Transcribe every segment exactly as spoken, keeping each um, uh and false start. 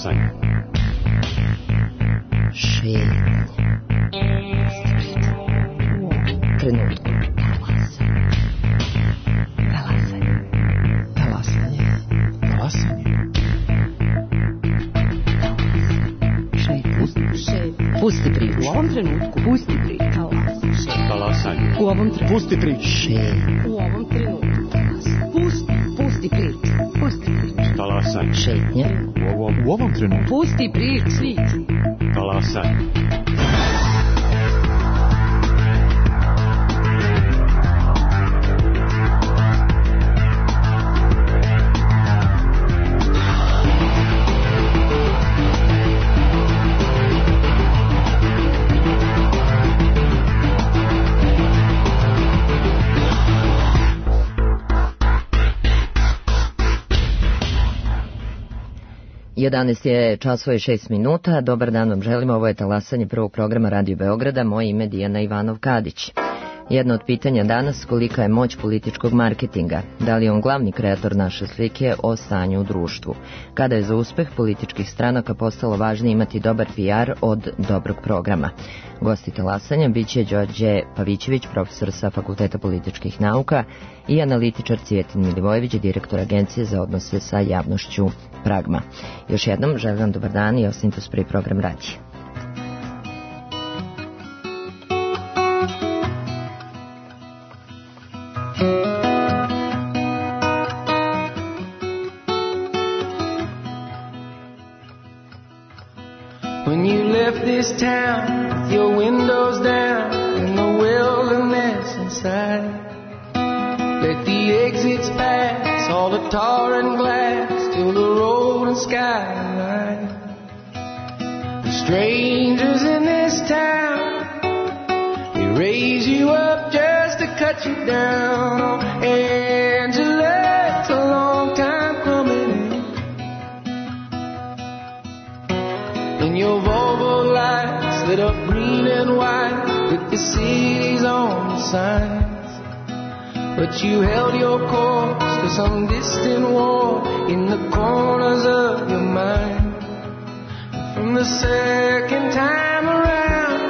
Talasanje. Šetnje. Trenutku. Talasanje. Talasanje. Talasanje. Šetnje. Pusti priču. U ovom trenutku. Pusti priču. Talasanje. U ovom trenutku. Pusti priču. Šetnje. U ovom trenutku. Pusti, pusti priču. Pusti priču. Talasanje. Šetnje. U ovom, u ovom trenutku. Pusti priču. Talasanje. jedanaest je časova i šest minuta. Dobar dan vam želimo. Ovo je talasanje prvog programa Radio Beograda. Moje ime je Dijana Ivanov-Kadić. Jedno od pitanja danas, kolika je moć političkog marketinga? Da li je on glavni kreator naše slike o stanju u društvu? Kada je za uspeh političkih stranaka postalo važnije imati dobar P R od dobrog programa? Gosti talasanja biće Đorđe Pavićević, profesor sa Fakulteta političkih nauka, i analitičar Cvijetin Milivojević, direktor Agencije za odnose sa javnošću Pragma. Još jednom želim vam dobar dan i ostanite uz prvi program radija. When you left this town with your windows down and the wilderness inside, let the exits pass, all the tar and glass, till the road and sky align. The strangers in this town, they raise you up just to cut you down. Oh, Angela, it's a long time coming. And your Volvo lights lit up green and white with the cities on the signs. But you held your course to some distant war in the corners of your mind. From the second time around,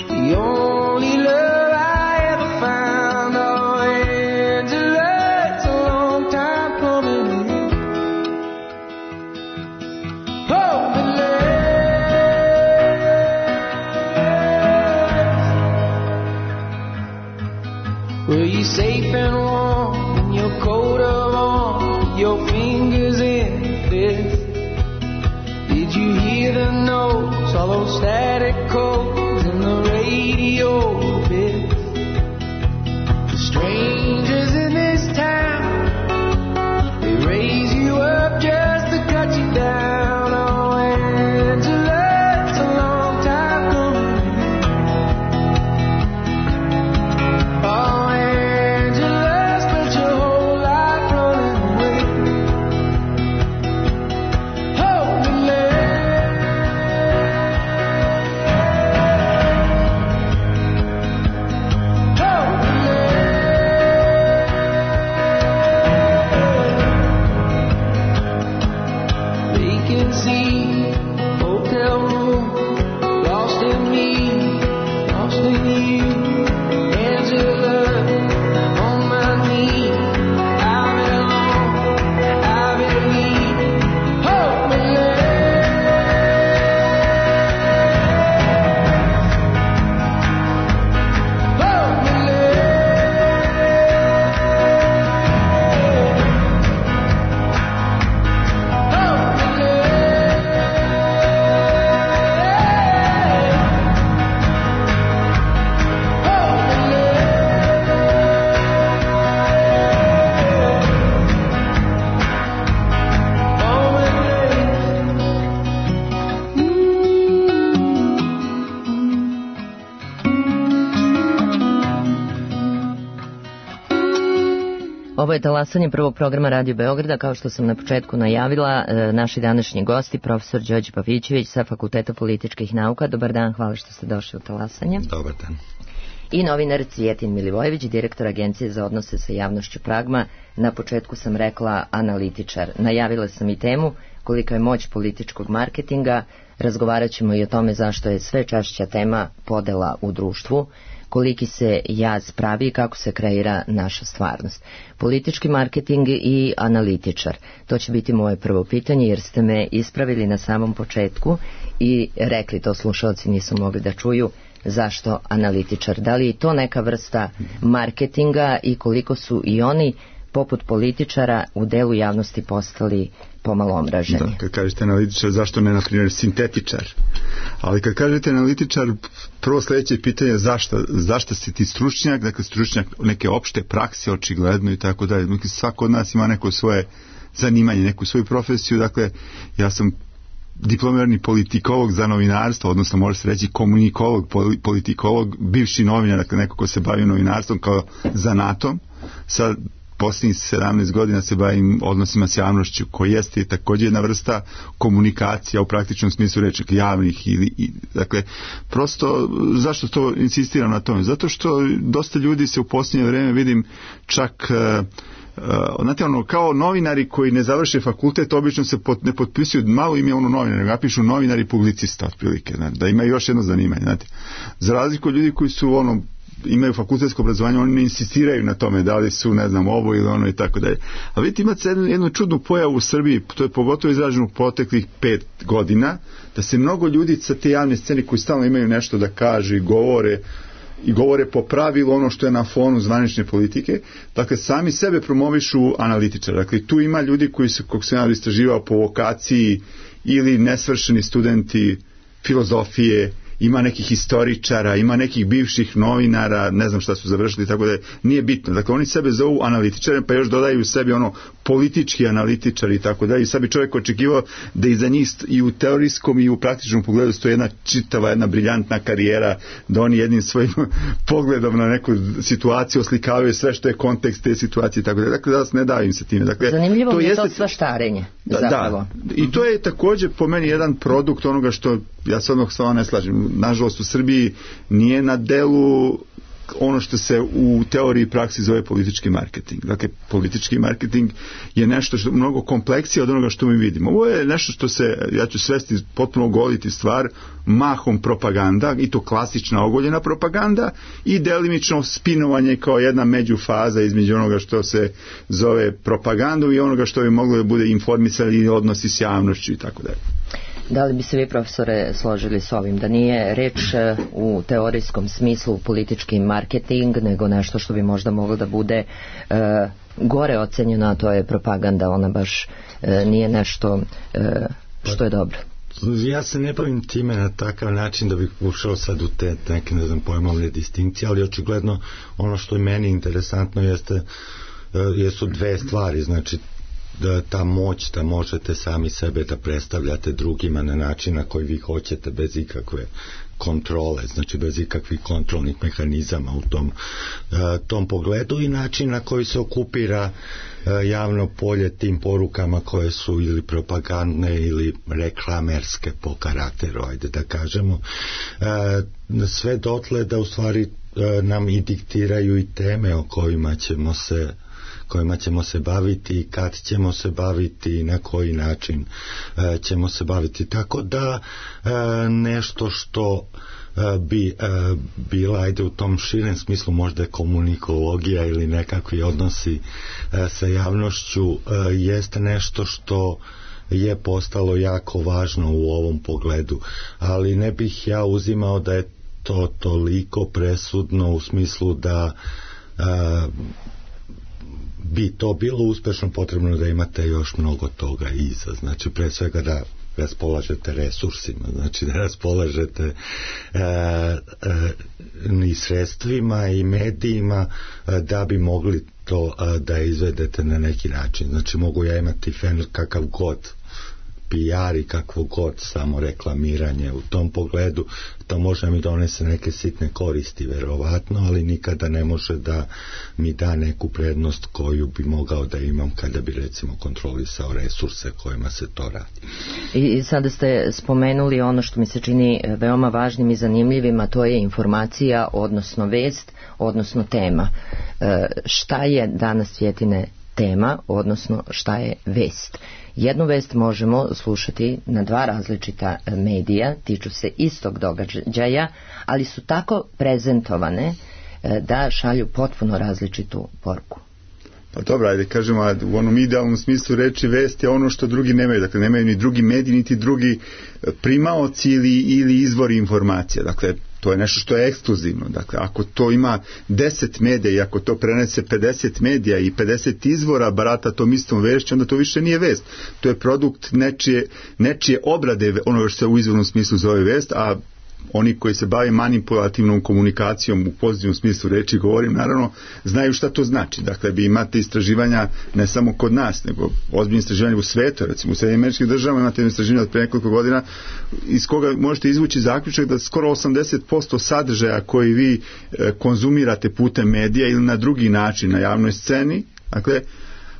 the only love I ever found. Oh, Angela, it's a long time coming. Oh, were you safe and warm in your coat of arms, with your fingers in the fist? Did you hear the notes, all those static codes in the radio bits? The strangers in this town, they raise you up just to cut you down. Oh, Angela, it's a long time coming. Oh, Ovo je talasanje prvog programa Radio Beograda. Kao što sam na početku najavila, naši današnji gosti, profesor Đorđe Pavićević sa Fakulteta političkih nauka. Dobar dan, hvala što ste došli u talasanje. Dobar dan. i novinar Cvijetin Milivojević, direktor Agencije za odnose sa javnošću Pragma. Na početku sam rekla analitičar. Najavila sam i temu kolika je moć političkog marketinga. Razgovarat ćemo i o tome zašto je sve češća tema podela u društvu, koliki se jaz pravi i kako se kreira naša stvarnost. Politički marketing i analitičar. To će biti moje prvo pitanje jer ste me ispravili na samom početku i rekli, to slušalci nisu mogli da čuju, zašto analitičar. Da li je to neka vrsta marketinga i koliko su i oni poput političara u delu javnosti postali pomalo omraženi? Da, kad kažete analitičar, zašto ne, na primjer, sintetičar? Ali kad kažete analitičar, prvo sljedeće pitanje je zašto, zašto si ti stručnjak, dakle stručnjak neke opšte prakse, očigledno i tako dalje. Dakle, svako od nas ima neko svoje zanimanje, neku svoju profesiju, dakle, ja sam diplomirani politikolog za novinarstvo, odnosno može se reći komunikolog, politikolog, bivši novinar, dakle neko ko se bavi novinarstvom kao zanatom. Sad posljednjih sedamnaest godina se bavim odnosima s javnošću, koji jeste također jedna vrsta komunikacija u praktičnom smislu reči, javnih ili, i, dakle, prosto, zašto to insistiram na tome? Zato što dosta ljudi se u posljednje vrijeme vidim čak uh, Uh, znate, ono, kao novinari koji ne završe fakultet obično se pot, ne potpisuju, malo im je ono novinar, nego napišu novinari publicista otprilike, znate, da imaju još jedno zanimanje, znate. Za razliku od ljudi koji su ono imaju fakultetsko obrazovanje, oni ne insistiraju na tome da li su, ne znam, ovo ili ono i tako dalje. A vidite, imate jednu, jednu čudnu pojavu u Srbiji, to je pogotovo izraženo u proteklih pet godina, da se mnogo ljudi sa te javne scene koji stalno imaju nešto da kažu i govore, i govore po pravilu ono što je na fonu zvanične politike, dakle sami sebe promovišu analitičara. Dakle, tu ima ljudi koji su, kako sam ja istraživao, po vokaciji ili nesvršeni studenti filozofije, ima nekih historičara, ima nekih bivših novinara, ne znam šta su završili, tako da nije bitno. Dakle, oni sebe zovu analitičare, pa još dodaju u sebi ono politički analitičari i tako da. I sad bi čovjek očekivao da iza njih i u teorijskom i u praktičnom pogledu stoji jedna čitava, jedna briljantna karijera, da oni jednim svojim pogledom na neku situaciju oslikavaju sve što je kontekst te situacije i tako da. Dakle, da vas ne davim se time. Dakle, zanimljivo to je jeste to svaštarenje. Da, zapravo. da, i to je također po meni jedan produkt onoga što ja se odmah s vama ne slažem. Nažalost u Srbiji nije na delu ono što se u teoriji i praksi zove politički marketing. Dakle, politički marketing je nešto što mnogo kompleksije od onoga što mi vidimo. Ovo je nešto što se, ja ću svesti potpuno ogoliti stvar, mahom propaganda, i to klasična ogoljena propaganda, i delimično spinovanje kao jedna međufaza između onoga što se zove propagandom i onoga što bi moglo da bude informisanje i odnosi s javnošću i tako dalje. Da li bi se vi, profesore, složili s ovim, da nije reč u teorijskom smislu politički marketing, nego nešto što bi možda moglo da bude e, gore ocenjeno, a to je propaganda, ona baš e, nije nešto e, što je dobro? Ja se ne bavim time na takav način da bih ušao sad u te neke, ne znam, pojmovne distinkcije, ali očigledno ono što je meni interesantno jeste, jesu dve stvari, znači da ta moć da možete sami sebe da predstavljate drugima na način na koji vi hoćete, bez ikakve kontrole, znači bez ikakvih kontrolnih mehanizama u tom, tom pogledu, i način na koji se okupira javno polje tim porukama koje su ili propagandne ili reklamerske po karakteru, ajde da kažemo, sve dotle da u stvari nam i diktiraju i teme o kojima ćemo se kojima ćemo se baviti i kad ćemo se baviti i na koji način e, ćemo se baviti. Tako da e, nešto što e, bi e, bila, ajde u tom širem smislu, možda je komunikologija ili nekakvi odnosi e, sa javnošću, e, jeste nešto što je postalo jako važno u ovom pogledu, ali ne bih ja uzimao da je to toliko presudno u smislu da e, bi to bilo uspešno, potrebno da imate još mnogo toga iza. Znači, pre svega da raspolažete resursima, znači da raspolažete e, e, i sredstvima i medijima e, da bi mogli to e, da izvedete na neki način. Znači, mogu ja imati fen kakav god P R i kakvo god samo reklamiranje u tom pogledu, to može mi donese neke sitne koristi verovatno, ali nikada ne može da mi da neku prednost koju bi mogao da imam kada bi recimo kontrolisao resurse kojima se to radi. I sada ste spomenuli ono što mi se čini veoma važnim i zanimljivim, a to je informacija, odnosno vest, odnosno tema. E, šta je danas, Cvjetine, tema, odnosno šta je vest? Jednu vest možemo slušati na dva različita medija, tiču se istog događaja, ali su tako prezentovane da šalju potpuno različitu poruku. Pa dobro, ajde kažemo, u onom idealnom smislu reči vest je ono što drugi nemaju, dakle nemaju ni drugi mediji, niti drugi primaoci ili, ili izvori informacija, dakle to je nešto što je ekskluzivno, dakle ako to ima deset medija i ako to prenese pedeset medija i pedeset izvora barata tom istom vešću, onda to više nije vest, to je produkt nečije, nečije obrade ono što se u izvornom smislu zove vest, a oni koji se bave manipulativnom komunikacijom u pozitivnom smislu reči, govorim, naravno, znaju šta to znači. Dakle, vi imate istraživanja ne samo kod nas, nego ozbiljne istraživanja u svetu, recimo u Sjedinjenim Američkim Državama imate istraživanja od pre nekoliko godina iz koga možete izvući zaključak da skoro osamdeset posto sadržaja koji vi e, konzumirate putem medija ili na drugi način na javnoj sceni, dakle,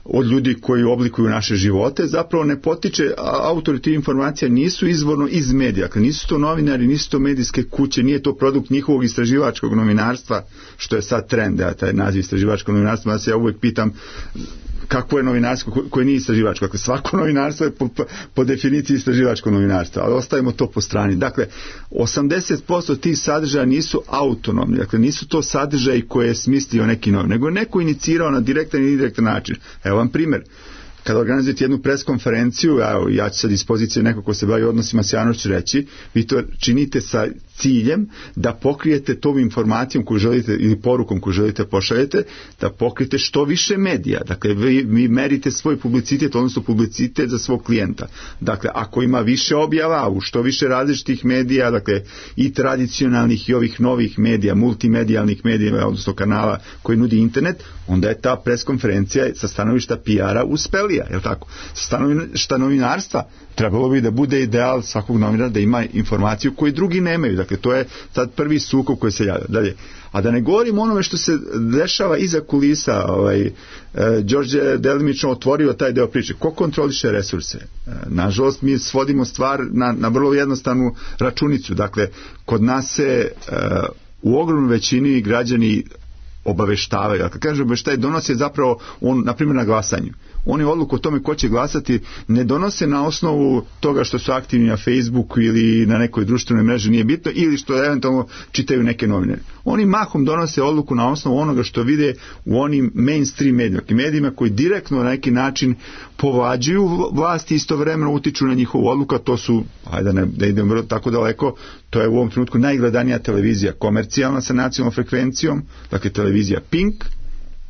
od ljudi koji oblikuju naše živote, zapravo ne potiče, autori tih informacija nisu izvorno iz medija, dakle nisu to novinari, nisu to medijske kuće, nije to produkt njihovog istraživačkog novinarstva, što je sad trend, ja, taj naziv istraživačkog novinarstva, ja se ja uvijek pitam kako je novinarstvo koje nije istraživačko. Dakle, svako novinarstvo je po, po definiciji istraživačko novinarstvo, ali ostavimo to po strani. Dakle, osamdeset posto tih sadržaja nisu autonomni, dakle, nisu to sadržaji koje je smislio neki novinar, nego je neko inicirao na direktan i indirektan način. Evo vam primjer. Kada organizujete jednu preskonferenciju, evo, ja ću sad iz pozicije neko ko se bavi odnosima s javnošću reći, vi to činite sa ciljem da pokrijete tom informacijom koju želite ili porukom koju želite pošaljete, da pokrijete što više medija. Dakle, vi, vi merite svoj publicitet, odnosno publicitet za svog klijenta. Dakle, ako ima više objava u što više različitih medija, dakle, i tradicionalnih i ovih novih medija, multimedijalnih medija, odnosno kanala koji nudi internet, onda je ta preskonferencija sa stanovišta P R-a uspelija, je li tako? Sa stanovišta novinarstva trebalo bi da bude ideal svakog novinara da ima informaciju koju drugi nemaju. Dakle, to je sad prvi sukob koji se javlja. Dalje. A da ne govorim onome što se dešava iza kulisa, ovaj, e, Đorđe je delimično otvorio taj deo priče. Ko kontroliše resurse? E, nažalost, mi svodimo stvar na, na vrlo jednostavnu računicu. Dakle, kod nas se e, u ogromnoj većini građani obaveštavaju. Dakle, kaže obaveštaj donosi zapravo on, na primjer, na glasanju. Oni odluku o tome ko će glasati ne donose na osnovu toga što su aktivni na Facebooku ili na nekoj društvenoj mreži, nije bitno, ili što eventualno čitaju neke novine. Oni mahom donose odluku na osnovu onoga što vide u onim mainstream medijima, medijima koji direktno na neki način povlađuju vlasti i istovremeno utiču na njihovu odluku, a to su, ajde ne, da idem vrlo tako daleko, to je u ovom trenutku najgledanija televizija komercijalna sa nacionalnom frekvencijom, dakle televizija Pink,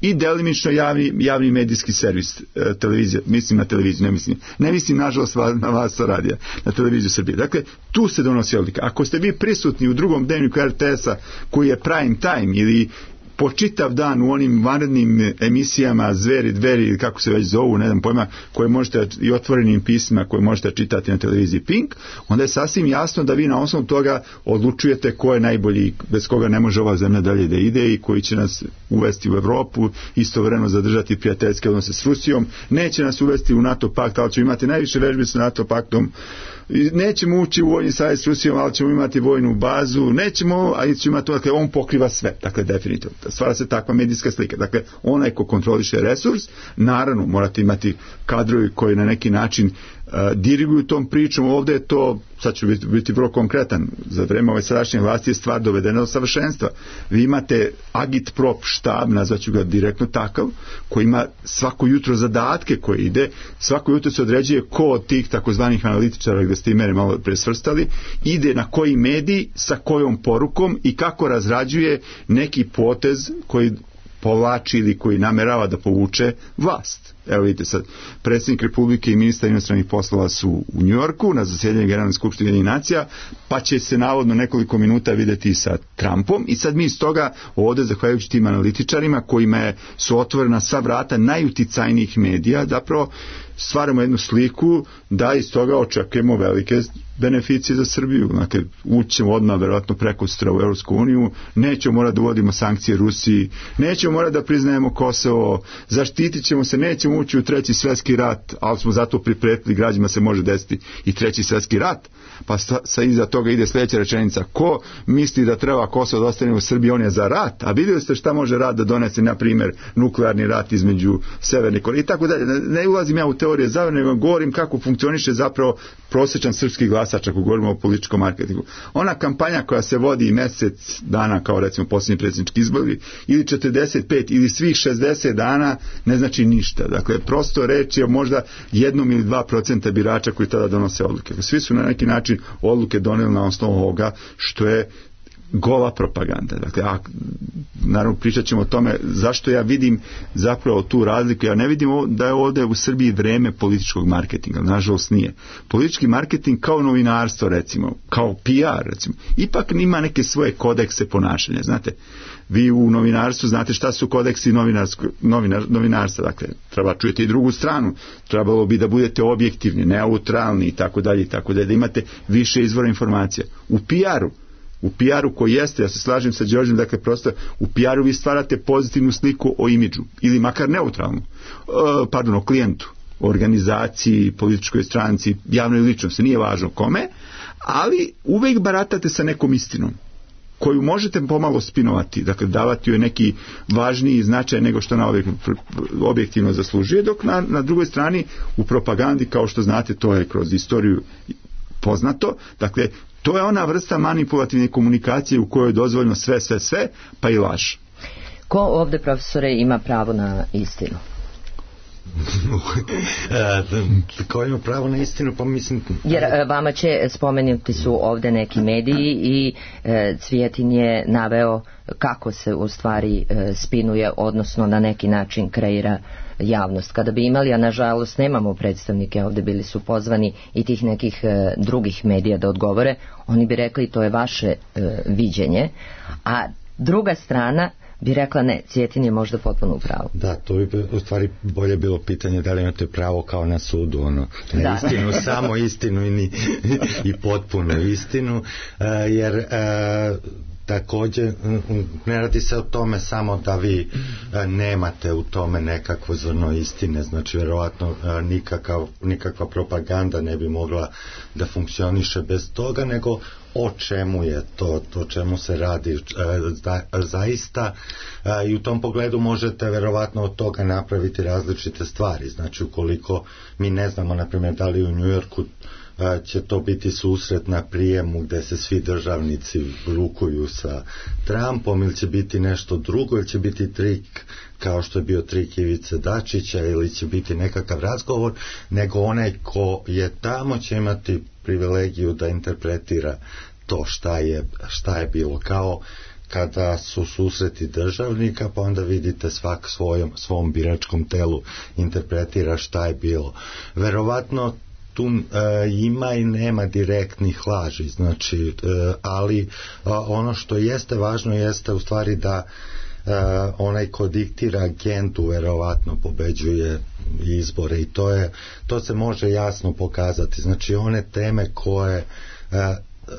i delimično javni, javni medijski servis e, televizija, mislim na televiziju, ne mislim, ne mislim nažalost na vas sa radija, na televiziju Srbije. Dakle, tu se donosi odluka. Ako ste vi prisutni u drugom dnevniku R T S-a koji je prime time ili po čitav dan u onim vanrednim emisijama Zveri, Dveri, kako se već zovu, ne znam pojma, koje možete i otvorenim pismima koje možete čitati na televiziji Pink, onda je sasvim jasno da vi na osnovu toga odlučujete ko je najbolji, bez koga ne može ova zemlja dalje da ide i koji će nas uvesti u Evropu, istovremeno zadržati prijateljske odnose s Rusijom, neće nas uvesti u NATO pakt, ali ćemo imati najviše vežbi sa NATO paktom, nećemo ući u vojni savez s Rusijom, ali ćemo imati vojnu bazu, nećemo, a ćemo imati, dakle, on pokriva sve, dakle, definitivno. Stvara se takva medijska slika. Dakle, onaj ko kontroliše resurs, naravno, morate imati kadrovi koji na neki način uh, diriguju tom pričom. Ovdje je to, sad ću biti, biti vrlo konkretan, za vreme ove sadašnje vlasti je stvar dovedena do savršenstva. Vi imate agitprop štab, nazvaću ga direktno takav, koji ima svako jutro zadatke koje ide, svako jutro se određuje ko od tih takozvanih analitičara, gdje ste i mene malo presvrstali, ide na koji medij, sa kojom porukom i kako razrađuje neki potez koji povlači ili koji namerava da povuče vlast. Evo vidite sad, predsjednik Republike i ministar inostranih poslova su u Njujorku na zasjedanju Generalne skupštine Ujedinjenih nacija, pa će se navodno nekoliko minuta videti sa Trumpom i sad mi iz toga ovde, zahvaljujući tim analitičarima kojima je, su otvorena sva vrata najuticajnijih medija, zapravo stvaramo jednu sliku da iz toga očekujemo velike beneficije za Srbiju. Dakle, ućemo odmah verovatno preko sutra u Europsku uniju, nećemo morati da uvodimo sankcije Rusiji, nećemo morati da priznajemo Kosovo, zaštitit ćemo se, nećemo ući u treći svjetski rat, ali smo zato pripretili građanima se može desiti i treći svjetski rat. Pa sa, sa iza toga ide sljedeća rečenica: ko misli da treba Kosovo da ostane u Srbiji, on je za rat. A vidjeli ste šta može rat da donese, na primjer, nuklearni rat između Severne Koreje i tako dalje. Ne ulazim ja u teorije zavere, nego govorim kako funkcioniše zapravo prosječan srpski glasač ako govorimo o političkom marketingu. Ona kampanja koja se vodi mjesec dana, kao recimo posljednji predsjednički izbori, ili četrdeset pet ili svih šezdeset dana, ne znači ništa. Dakle, prosto reč je možda jednom ili dva procenta birača koji tada donose odluke. Svi su na neki način odluke doneli na osnovu ovoga što je gola propaganda. Dakle, a, naravno pričat ćemo o tome zašto ja vidim zapravo tu razliku. Ja ne vidim da je ovdje u Srbiji vreme političkog marketinga, nažalost nije. Politički marketing kao novinarstvo, recimo, kao P R, recimo, ipak ima neke svoje kodekse ponašanja, znate. Vi u novinarstvu znate šta su kodeksi novinar, novinarstva, dakle, treba čujete i drugu stranu, trebalo bi da budete objektivni, neutralni i tako dalje i tako dalje, da imate više izvora informacija. U P R-u U P R-u koji jeste, ja se slažem sa Đorđem, dakle prosto u P R-u vi stvarate pozitivnu sliku o imidžu, ili makar neutralnu, e, pardon, o klijentu, o organizaciji, političkoj stranci, javnoj ličnosti, nije važno kome, ali uvijek baratate sa nekom istinom koju možete pomalo spinovati, dakle davati joj neki važniji značaj nego što ona objektivno zaslužuje, dok na, na drugoj strani u propagandi, kao što znate, to je kroz istoriju poznato, dakle to je ona vrsta manipulativne komunikacije u kojoj je dozvoljeno sve, sve, sve, pa i laž. Ko ovdje, profesore, ima pravo na istinu? Ko ima pravo na istinu, pa mislim... Jer vama će spomenuti su ovdje neki mediji i e, Cvijetin je naveo kako se u stvari e, spinuje, odnosno na neki način kreira javnost. Kada bi imali, a nažalost nemamo predstavnike, ovdje bili su pozvani i tih nekih e, drugih medija da odgovore, oni bi rekli to je vaše e, viđenje, a druga strana bi rekla ne, Cvijetin je možda potpuno u pravu. Da, to bi u stvari bolje bilo pitanje da li imate pravo kao na sudu, ono, na da. istinu, samo istinu i, ni, i potpuno istinu, uh, jer uh, također ne radi se o tome samo da vi uh, nemate u tome nekakvo zrno istine, znači vjerovatno uh, nikakav, nikakva propaganda ne bi mogla da funkcioniše bez toga, nego o čemu je to, to čemu se radi e, za, zaista e, i u tom pogledu možete verovatno od toga napraviti različite stvari. Znači ukoliko mi ne znamo na primjer da li u Njujorku e, će to biti susret na prijemu gdje se svi državnici rukuju sa Trumpom, ili će biti nešto drugo, ili će biti trik kao što je bio trik Ivice Dačića, ili će biti nekakav razgovor, nego onaj ko je tamo će imati privilegiju da interpretira to šta je, šta je bilo, kao kada su susreti državnika, pa onda vidite svak svojom, svom biračkom telu interpretira šta je bilo. Verovatno tu e, ima i nema direktnih laži, znači, e, ali a, ono što jeste važno jeste u stvari da e, onaj ko diktira agendu verovatno pobeđuje izbore, i to je, to se može jasno pokazati. Znači one teme koje e,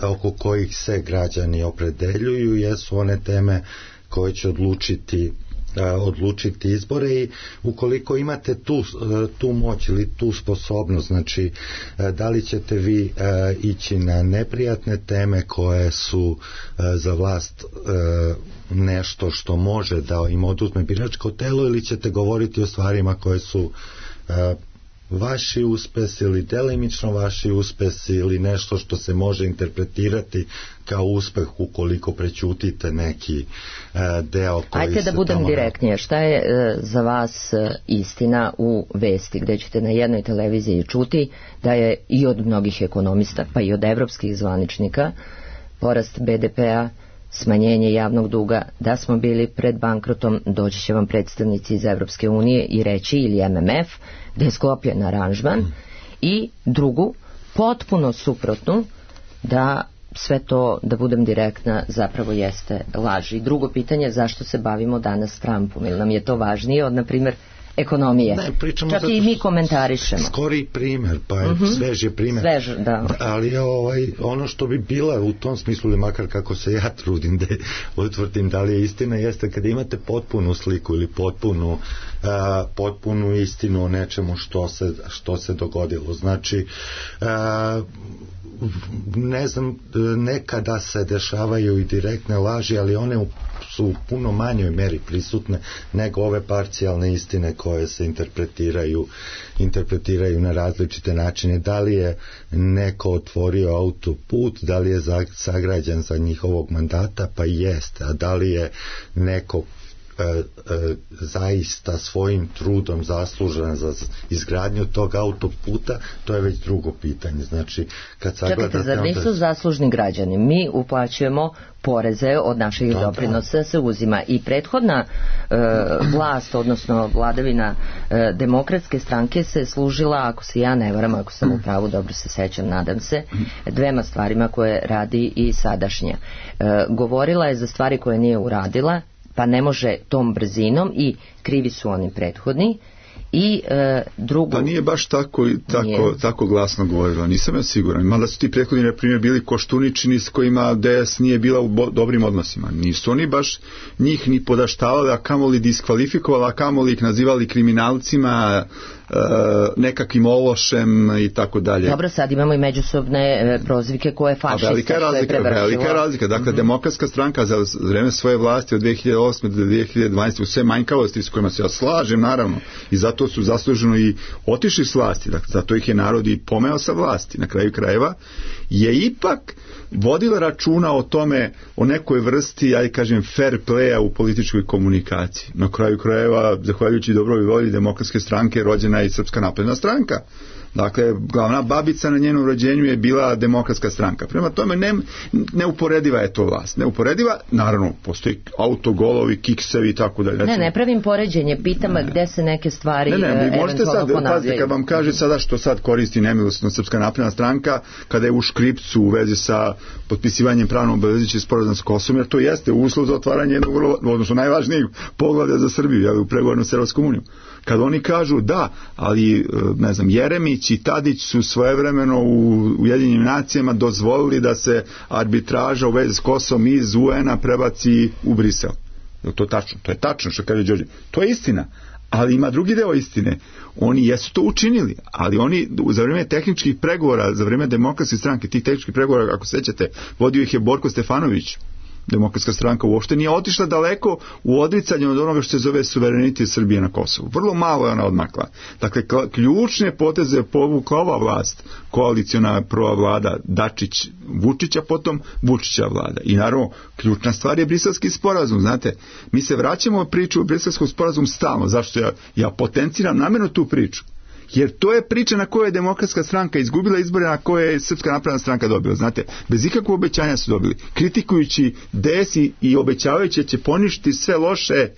oko kojih se građani opredeljuju jesu one teme koje će odlučiti odlučiti izbore, i ukoliko imate tu, tu moć ili tu sposobnost, znači da li ćete vi ići na neprijatne teme koje su za vlast nešto što može da im oduzme biračko telo, ili ćete govoriti o stvarima koje su vaši uspesi ili delimično vaši uspesi, ili nešto što se može interpretirati kao uspeh ukoliko prećutite neki uh, deo koji Ajde da budem tamo... direktnije, šta je uh, za vas uh, istina u vesti, gdje ćete na jednoj televiziji čuti da je i od mnogih ekonomista, pa i od evropskih zvaničnika, porast B D P-a smanjenje javnog duga, da smo bili pred bankrotom, doći će vam predstavnici iz Evropske unije i reći, ili M M F, da je sklopljen aranžman, i drugu, potpuno suprotnu, da sve to, da budem direktna, zapravo jeste laž. I drugo pitanje, zašto se bavimo danas Trumpom? Ili nam je to važnije od, na primjer, ekonomije? Ne, pričamo čak i mi komentarišemo. Skori primer, pa je uh-huh. sveži primer. Svež, da. Ali ovaj, ono što bi bila u tom smislu, ili makar kako se ja trudim da utvrdim da li je istina, jeste kada imate potpunu sliku ili potpunu, uh, potpunu istinu o nečemu što se, što se dogodilo. Znači, uh, ne znam, nekada se dešavaju i direktne laži, ali one su u puno manjoj meri prisutne nego ove parcijalne istine koje se interpretiraju interpretiraju na različite načine. Da li je neko otvorio autoput, da li je sagrađen za njihovog mandata, pa jeste, a da li je neko E, e, zaista svojim trudom zaslužen za izgradnju tog autoputa, to je već drugo pitanje. Znači, kad sagledate... Čekajte, zar nisu zaslužni građani? Mi uplaćujemo poreze od naših da, doprinosa, se uzima i prethodna e, vlast, odnosno vladavina e, demokratske stranke se služila, ako se ja ne varam, ako sam u pravu, dobro se sećam, nadam se, dvema stvarima koje radi i sadašnja. E, govorila je za stvari koje nije uradila, pa ne može tom brzinom, i krivi su oni prethodni, i e, drugo... Pa nije baš tako, tako, tako glasno govorila, nisam ja siguran. Mada su ti prethodni, na primjer, bili Koštuničini s kojima D S nije bila u bo, dobrim odnosima. Nisu oni baš njih ni podaštavali, a kamoli diskvalifikovali, a kamoli ih nazivali kriminalcima, e, nekakvim ološem i tako dalje. Dobro, sad imamo i međusobne e, prozivke koje fašista, a velika je razlika, je velika je razlika. Dakle, mm-hmm. Demokratska stranka za vreme svoje vlasti od dve hiljade osme do dve hiljade dvanaeste u sve manjkavosti s kojima se ja slažem, naravno, i zato su zasluženo i otišli s vlasti, dakle, zato ih je narod i pomeo sa vlasti. Na kraju krajeva je ipak vodila računa o tome, o nekoj vrsti, ja kažem, fair playa u političkoj komunikaciji. Na kraju krajeva, zahvaljujući dobroj volji Demokratske stranke, rođena je i Srpska napredna stranka. Dakle, glavna babica na njenom rođenju je bila Demokratska stranka. Prema tome, ne, neuporediva je to vlast. Neuporediva, naravno, postoji autogolovi, kiksevi i tako dalje. Ne, ne pravim poređenje, pitam ne. Gde se neke stvari ne, ne, vi možete sad, pazite, kad vam kaže sada što sad koristi nemilosno Srpska napredna stranka, kada je u škripcu u vezi sa potpisivanjem pravno obavezujućeg sporazuma s Kosovom, jer to jeste uslov za otvaranje jednog, odnosno najvažnijeg poglavlja za Srbiju, ja, u pregovorima s Evropskom unijom. Kad oni kažu da, ali, ne znam, Jeremić i Tadić su svojevremeno u Ujedinjenim nacijama dozvolili da se arbitraža u vezi s Kosovom iz U N-a prebaci u Brisel. Je to tačno? To je tačno što kaže Đorđe. To je istina. Ali ima drugi deo istine. Oni jesu to učinili, ali oni za vrijeme tehničkih pregovora, za vrijeme Demokratske stranke, tih tehničkih pregovora, ako sećate, vodio ih je Borko Stefanović. Demokratska stranka uopšte nije otišla daleko u odricanju od onoga što se zove suverenitet Srbije na Kosovu. Vrlo malo je ona odmakla. Dakle, ključne poteze povukla ova vlast, koaliciona prva vlada Dačić Vučića, potom Vučića vlada. I naravno, ključna stvar je Briselski sporazum. Znate, mi se vraćamo u priču o Briselskom sporazum stalno. Zašto ja, ja potenciram namjerno tu priču? Jer to je priča na kojoj je Demokratska stranka izgubila izbore, na koje je Srpska napredna stranka dobila. Znate, bez ikakvog obećanja su dobili. Kritikujući D S i, i obećavajući će poništiti sve loše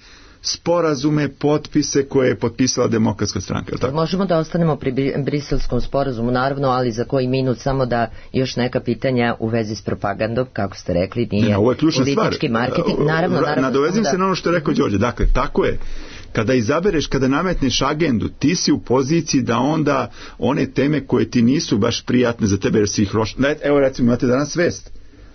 sporazume, potpise koje je potpisala Demokratska stranka. Tako? Možemo da ostanemo pri Briselskom sporazumu, naravno, ali za koji minut samo da još neka pitanja u vezi s propagandom, kako ste rekli, nije ne, ovo je politički stvar. Marketing. Naravno, naravno, nadovezim da... se na ono što je rekao Đorđe. Dakle, tako je. Kada izabereš, kada nametneš agendu, ti si u poziciji da onda one teme koje ti nisu baš prijatne za tebe, jer si ih roš... Evo, recimo, imate danas vest.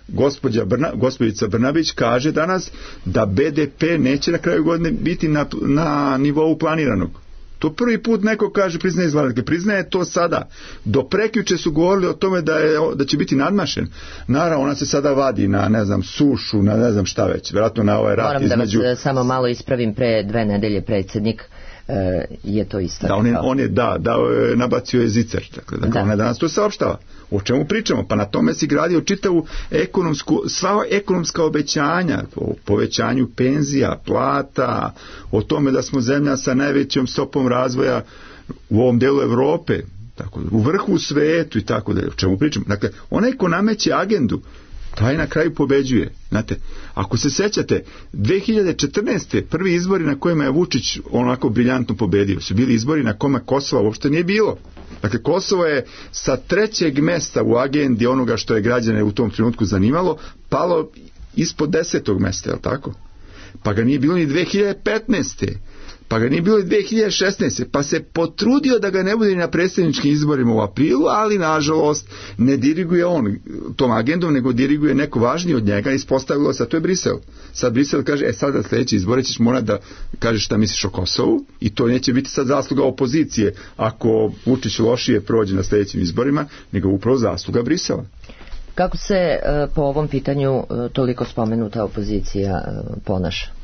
Gospođa Brna, gospođica Brnabić kaže danas da B D P neće na kraju godine biti na, na nivou planiranog. To prvi put neko kaže, priznaje izgledanje, priznaje to sada. Do prekjuče su govorili o tome da, je, da će biti nadmašen. Naravno, ona se sada vadi na, ne znam, sušu, na ne znam šta već, vjerojatno na ovaj rat Moram između... Moram da vas samo malo ispravim, pre dve nedelje predsjednik e, je to isto. Da, on je, on je da, da, nabacio je zicer, dakle, dakle da. Ona danas to saopštava. O čemu pričamo? Pa na tome si gradio čitavu ekonomsku, sva ekonomska obećanja, o povećanju penzija, plata, o tome da smo zemlja sa najvećom stopom razvoja u ovom delu Evrope, tako, u vrhu u svetu i tako da. O čemu pričamo? Dakle, onaj ko nameće agendu, taj na kraju pobeđuje. Znate, ako se sećate, dve hiljade četrnaeste. prvi izbori na kojima je Vučić onako briljantno pobedio su bili izbori na kojima Kosova uopšte nije bilo. Dakle, Kosovo je sa trećeg mesta u agendi onoga što je građane u tom trenutku zanimalo, palo ispod desetog mesta, je li tako? Pa ga nije bilo ni dve hiljade petnaeste. Pa ga nije bilo i dve hiljade šesnaeste. Pa se potrudio da ga ne bude ni na predsjedničkim izborima u aprilu, ali nažalost ne diriguje on tom agendom, nego diriguje neko važniji od njega. Ispostavilo se, a to je Brisel. Sad Brisel kaže, e sad da sljedeći izbore ćeš morati da kažeš šta misliš o Kosovu, i to neće biti sad zasluga opozicije ako Vučić lošije prođe na sljedećim izborima, nego upravo zasluga Brisela. Kako se po ovom pitanju toliko spomenuta opozicija ponaša?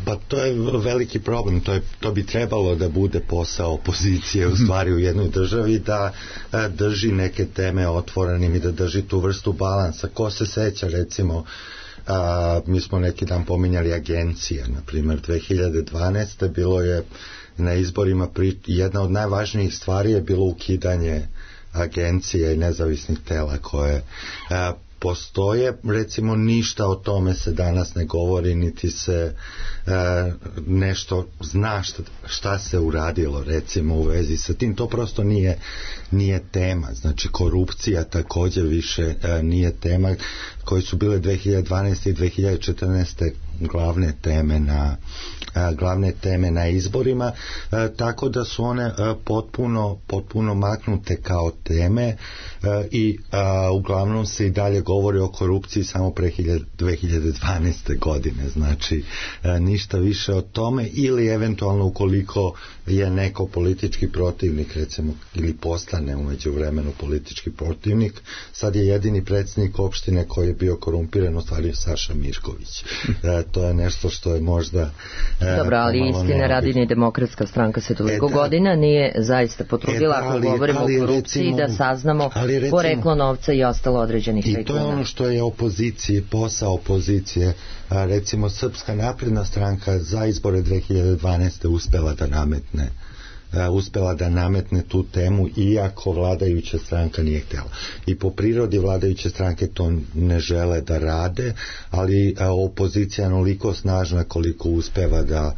Pa to je veliki problem, to, je, to bi trebalo da bude posao opozicije u stvari u jednoj državi, da a, drži neke teme otvorenim i da drži tu vrstu balansa. Ko se seća, recimo, a, mi smo neki dan pominjali agencije, na primjer dve hiljade dvanaeste. bilo je na izborima pri, jedna od najvažnijih stvari je bilo ukidanje agencije i nezavisnih tela koje a, postoje, recimo ništa o tome se danas ne govori, niti se e, nešto zna šta, šta se uradilo recimo u vezi sa tim, to prosto nije, nije tema. Znači korupcija također više e, nije tema, koje su bile dve hiljade dvanaeste. i dve hiljade četrnaeste. glavne teme na a, glavne teme na izborima, a, tako da su one a, potpuno, potpuno maknute kao teme a, i a, uglavnom se i dalje govori o korupciji samo pre dve hiljade dvanaeste. godine, znači a, ništa više o tome, ili eventualno ukoliko je neko politički protivnik recimo, ili postane umeđu vremenu politički protivnik, sad je jedini predsjednik opštine koji je bio korumpiran u stvari Saša Mirković. A, to je nešto što je možda e, dobro, ali istine radi ni Demokratska stranka se toliko e, da, godina nije zaista potrudila, e, da, ali, ako govorimo ali, o korupciji, recimo, da saznamo recimo, poreklo novca i ostalo određenih tajkuna. I to je ono što je opoziciji, posao opozicije. A, recimo Srpska napredna stranka za izbore dve hiljade dvanaeste. uspela da nametne uspela da nametne tu temu, iako vladajuća stranka nije htjela. I po prirodi vladajuće stranke to ne žele da rade, ali a, opozicija onoliko snažna koliko uspeva da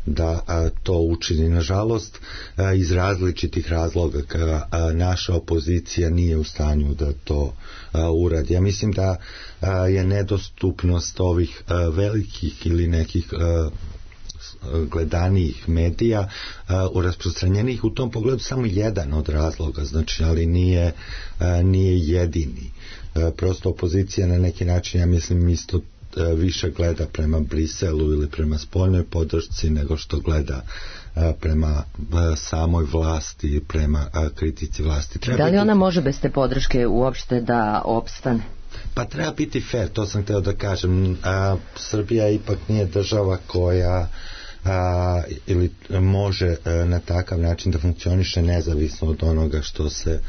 da a, to učini. Nažalost, a, iz različitih razloga a, a, naša opozicija nije u stanju da to a, uradi. Ja mislim da a, je nedostupnost ovih a, velikih ili nekih a, gledanijih medija u rasprostranjenih u tom pogledu samo jedan od razloga, znači, ali nije, nije jedini. Prosto opozicija na neki način, ja mislim, isto više gleda prema Briselu ili prema spoljnoj podršci nego što gleda prema samoj vlasti, prema kritici vlasti. Treba da li ona biti... može bez te podrške uopšte da opstane? Pa treba biti fair, to sam htio da kažem. A, Srbija ipak nije država koja a, ili može a, na takav način da funkcioniše nezavisno od onoga što se,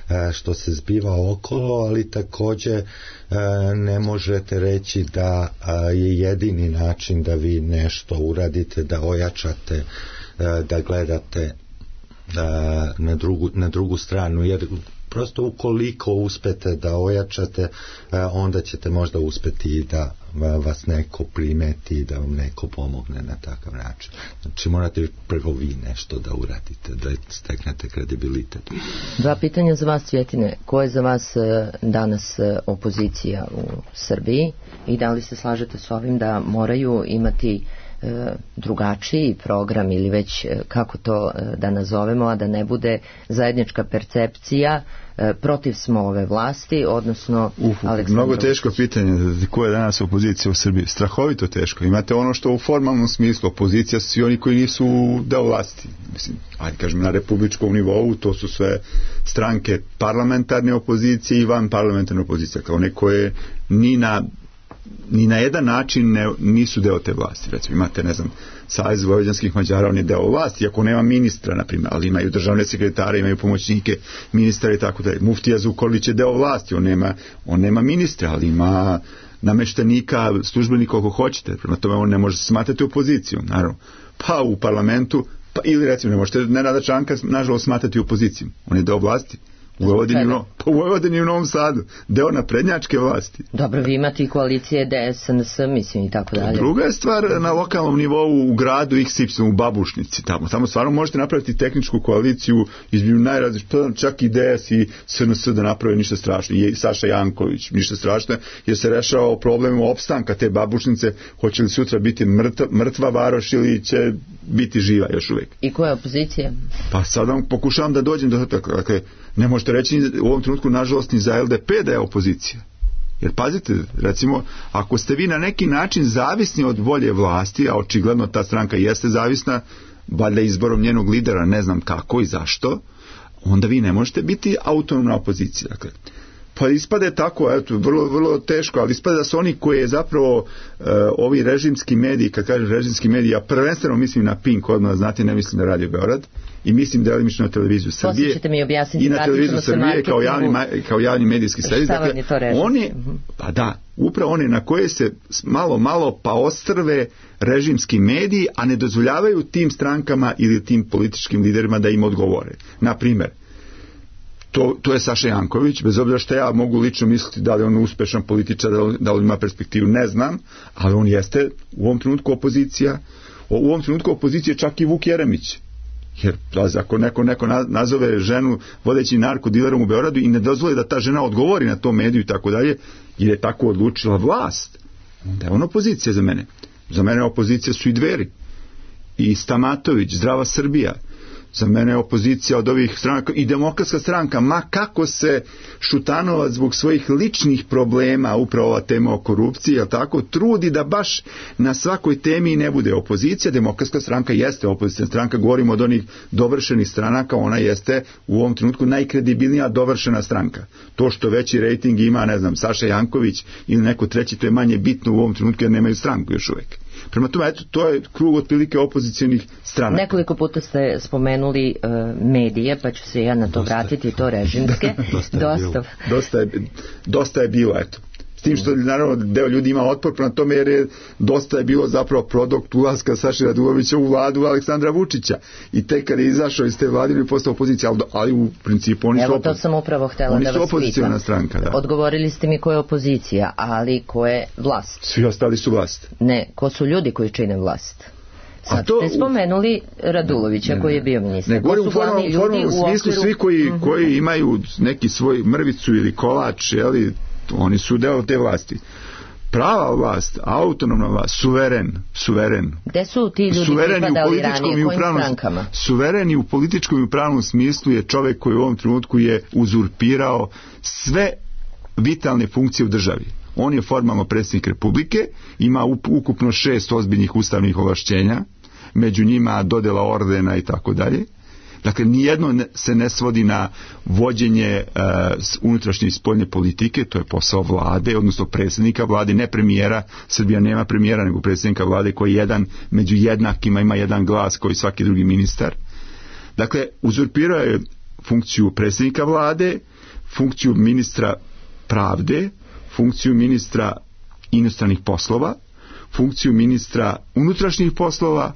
a, što se zbiva okolo, ali također a, ne možete reći da a, je jedini način da vi nešto uradite, da ojačate, a, da gledate a, na, drugu, na drugu stranu, jer prosto ukoliko uspete da ojačate, onda ćete možda uspeti i da vas neko primeti i da vam neko pomogne na takav način. Znači morate prvo vi nešto da uradite, da steknete kredibilitet. Dva pitanja za vas, Cvjetine. Ko je za vas danas opozicija u Srbiji i da li se slažete s ovim da moraju imati drugačiji program ili već kako to da nazovemo, a da ne bude zajednička percepcija protiv smo ove vlasti, odnosno Uf, mnogo teško pitanje, ko je danas opozicija u Srbiji? Strahovito teško. Imate ono što u formalnom smislu opozicija su svi oni koji nisu deo vlasti. Mislim, ajde kažem na republičkom nivou, to su sve stranke parlamentarne opozicije i van parlamentarne opozicije, kao neko je ni na ni na jedan način ne, nisu deo te vlasti. Recimo imate, ne znam, Savez vojvođanskih Mađara, on je deo vlasti, iako nema ministra, na primjer, ali imaju državne sekretare, imaju pomoćnike ministra i tako dalje. Muftija Zukorlić je deo vlasti, on nema, on nema ministra, ali ima nameštenika, službenika ako hoćete, prema tome on ne može se smatrati opozicijom, naravno. Pa u parlamentu, pa ili recimo ne možete Nenada Čanka nažalost smatrati opozicijom, on je deo vlasti. U Vojvodini, no, u Vojvodini i u Novom Sadu, deo naprednjačke vlasti. Dobro, vi imate i koalicije D S, N S, mislim i tako dalje. Druga je stvar na lokalnom nivou u gradu X Y, u Babušnici, tamo. Tamo stvarno možete napraviti tehničku koaliciju između najrazličitih, čak i D S i S N S da naprave ništa strašno. I Saša Janković, ništa strašno, jer se rešava problem opstanka te Babušnice, hoće li sutra biti mrtva, mrtva varoš ili će biti živa još uvijek. I koja je opozicija? Pa sad vam pokušavam da dođem do toga. Dakle, ne možete reći u ovom trenutku, nažalost, ni za L D P da je opozicija. Jer pazite, recimo, ako ste vi na neki način zavisni od volje vlasti, a očigledno ta stranka jeste zavisna, valjda izborom njenog lidera, ne znam kako i zašto, onda vi ne možete biti autonomna opozicija. Dakle, pa ispade tako, eto, vrlo, vrlo teško, ali ispade da su oni koji je zapravo e, ovi režimski mediji, kad kažem režimski mediji, ja prvenstveno mislim na Pink, odmah znate, ne mislim na Radio Beograd, i mislim delimično na televiziju Srbije mi objasniti, i na televiziju Srbije kao javni, kao javni medijski servis. Dakle, oni, pa da, upravo one na koje se malo, malo pa ostrve režimski mediji, a ne dozvoljavaju tim strankama ili tim političkim liderima da im odgovore. Na primjer, To, to je Saša Janković, bez obzira što ja mogu lično misliti da li on uspešan političar, da li ima perspektivu, ne znam, ali on jeste u ovom trenutku opozicija, u ovom trenutku opozicija čak i Vuk Jeremić. Jer ako neko, neko nazove ženu vodeći narkodilerom u Beogradu i ne dozvoli da ta žena odgovori na to mediju i tako dalje, jer je tako odlučila vlast, onda je on opozicija za mene. Za mene opozicija su i Dveri, i Stamatović, Zdrava Srbija. Za mene je opozicija od ovih stranaka i Demokratska stranka, ma kako se Šutanovac zbog svojih ličnih problema, upravo ova tema o korupciji, jel tako, trudi da baš na svakoj temi ne bude opozicija. Demokratska stranka jeste opozicija stranka, govorimo od onih dovršenih stranaka, ona jeste u ovom trenutku najkredibilnija dovršena stranka. To što veći rejting ima, ne znam, Saša Janković ili neko treći, to je manje bitno u ovom trenutku jer nemaju stranku još uvijek. Prema tome, eto, to je krug otprilike opozicijonih stranaka. Nekoliko puta ste spomenuli uh, medije, pa ću se ja na to dosta vratiti, to režimske. dosta, je dosta. dosta, je, dosta je bilo, eto. S tim što, naravno, deo ljudi ima otpor prema tome, jer je dosta je bilo zapravo produkt ulaska Saše Radulovića u vladu Aleksandra Vučića. I tek kad je izašao iz te vlade ili postao opozicija, ali, ali u principu oni Evo, su, to sam upravo htjela oni da su vas opozicijona stranka. Da. Odgovorili ste mi ko je opozicija, ali ko je vlast? Svi ostali su vlast. Ne, ko su ljudi koji čine vlast? Sad to, ste spomenuli Radulovića, ne, ne, koji je bio ministar. Ne, govorim u formalnom smislu, svi koji, mm-hmm. koji imaju neki svoj mrvicu ili kolač, jeli, oni su deo te vlasti. Prava vlast, autonomna vlast, suveren, suveren. Gde su ti ljudi pripadali ranije, kojim strankama? Suveren i u političkom i u pravnom smislu je čovjek koji u ovom trenutku je uzurpirao sve vitalne funkcije u državi. On je formalno predsjednik Republike, ima ukupno šest ozbiljnih ustavnih ovlašćenja, među njima dodjela ordena i tako dalje. Dakle, nijedno se ne svodi na vođenje uh, unutrašnje i spoljne politike, to je posao vlade, odnosno predsjednika vlade, ne premijera. Srbija nema premijera, nego predsjednika vlade koji jedan među jednakima ima jedan glas koji svaki drugi ministar. Dakle, uzurpirao je funkciju predsjednika vlade, funkciju ministra pravde, funkciju ministra inostranih poslova, funkciju ministra unutrašnjih poslova,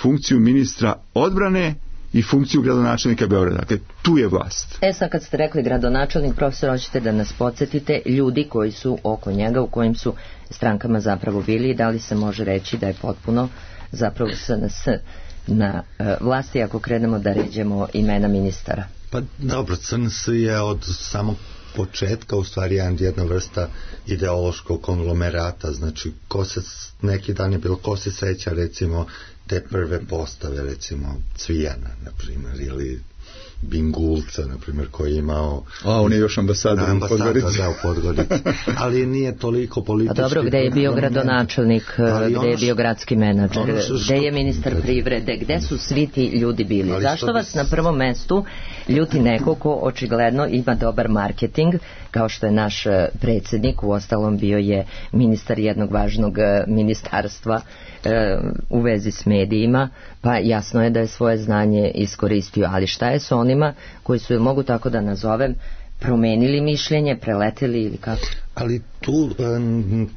funkciju ministra odbrane i funkciju gradonačelnika Beograda. Dakle, tu je vlast. E sad kad ste rekli gradonačelnik, profesor, hoćete da nas podsjetite ljudi koji su oko njega, u kojim su strankama zapravo bili i da li se može reći da je potpuno zapravo S N S na uh, vlasti ako krenemo da ređemo imena ministara? Pa dobro, S N S je od samog početka u stvari jedna vrsta ideološkog konglomerata, znači ko se neki dan je bilo, ko se seća recimo te prve postave, recimo Cvijana, na primjer, ili Bingulca, na primjer, koji je imao... A, on je još ambasador u Podgorici. Da, u Podgorici. Ali nije toliko politički... A dobro, gde je bio gradonačelnik, gde je bio gradski menadžer, gde je ministar privrede, gde su svi ti ljudi bili? Zašto vas na prvom mestu ljuti neko ko očigledno ima dobar marketing, kao što je naš predsjednik, uostalom bio je ministar jednog važnog ministarstva u vezi s medijima, pa jasno je da je svoje znanje iskoristio, ali šta je s onima koji su, mogu tako da nazovem, promenili mišljenje, preleteli ili kako? Ali tu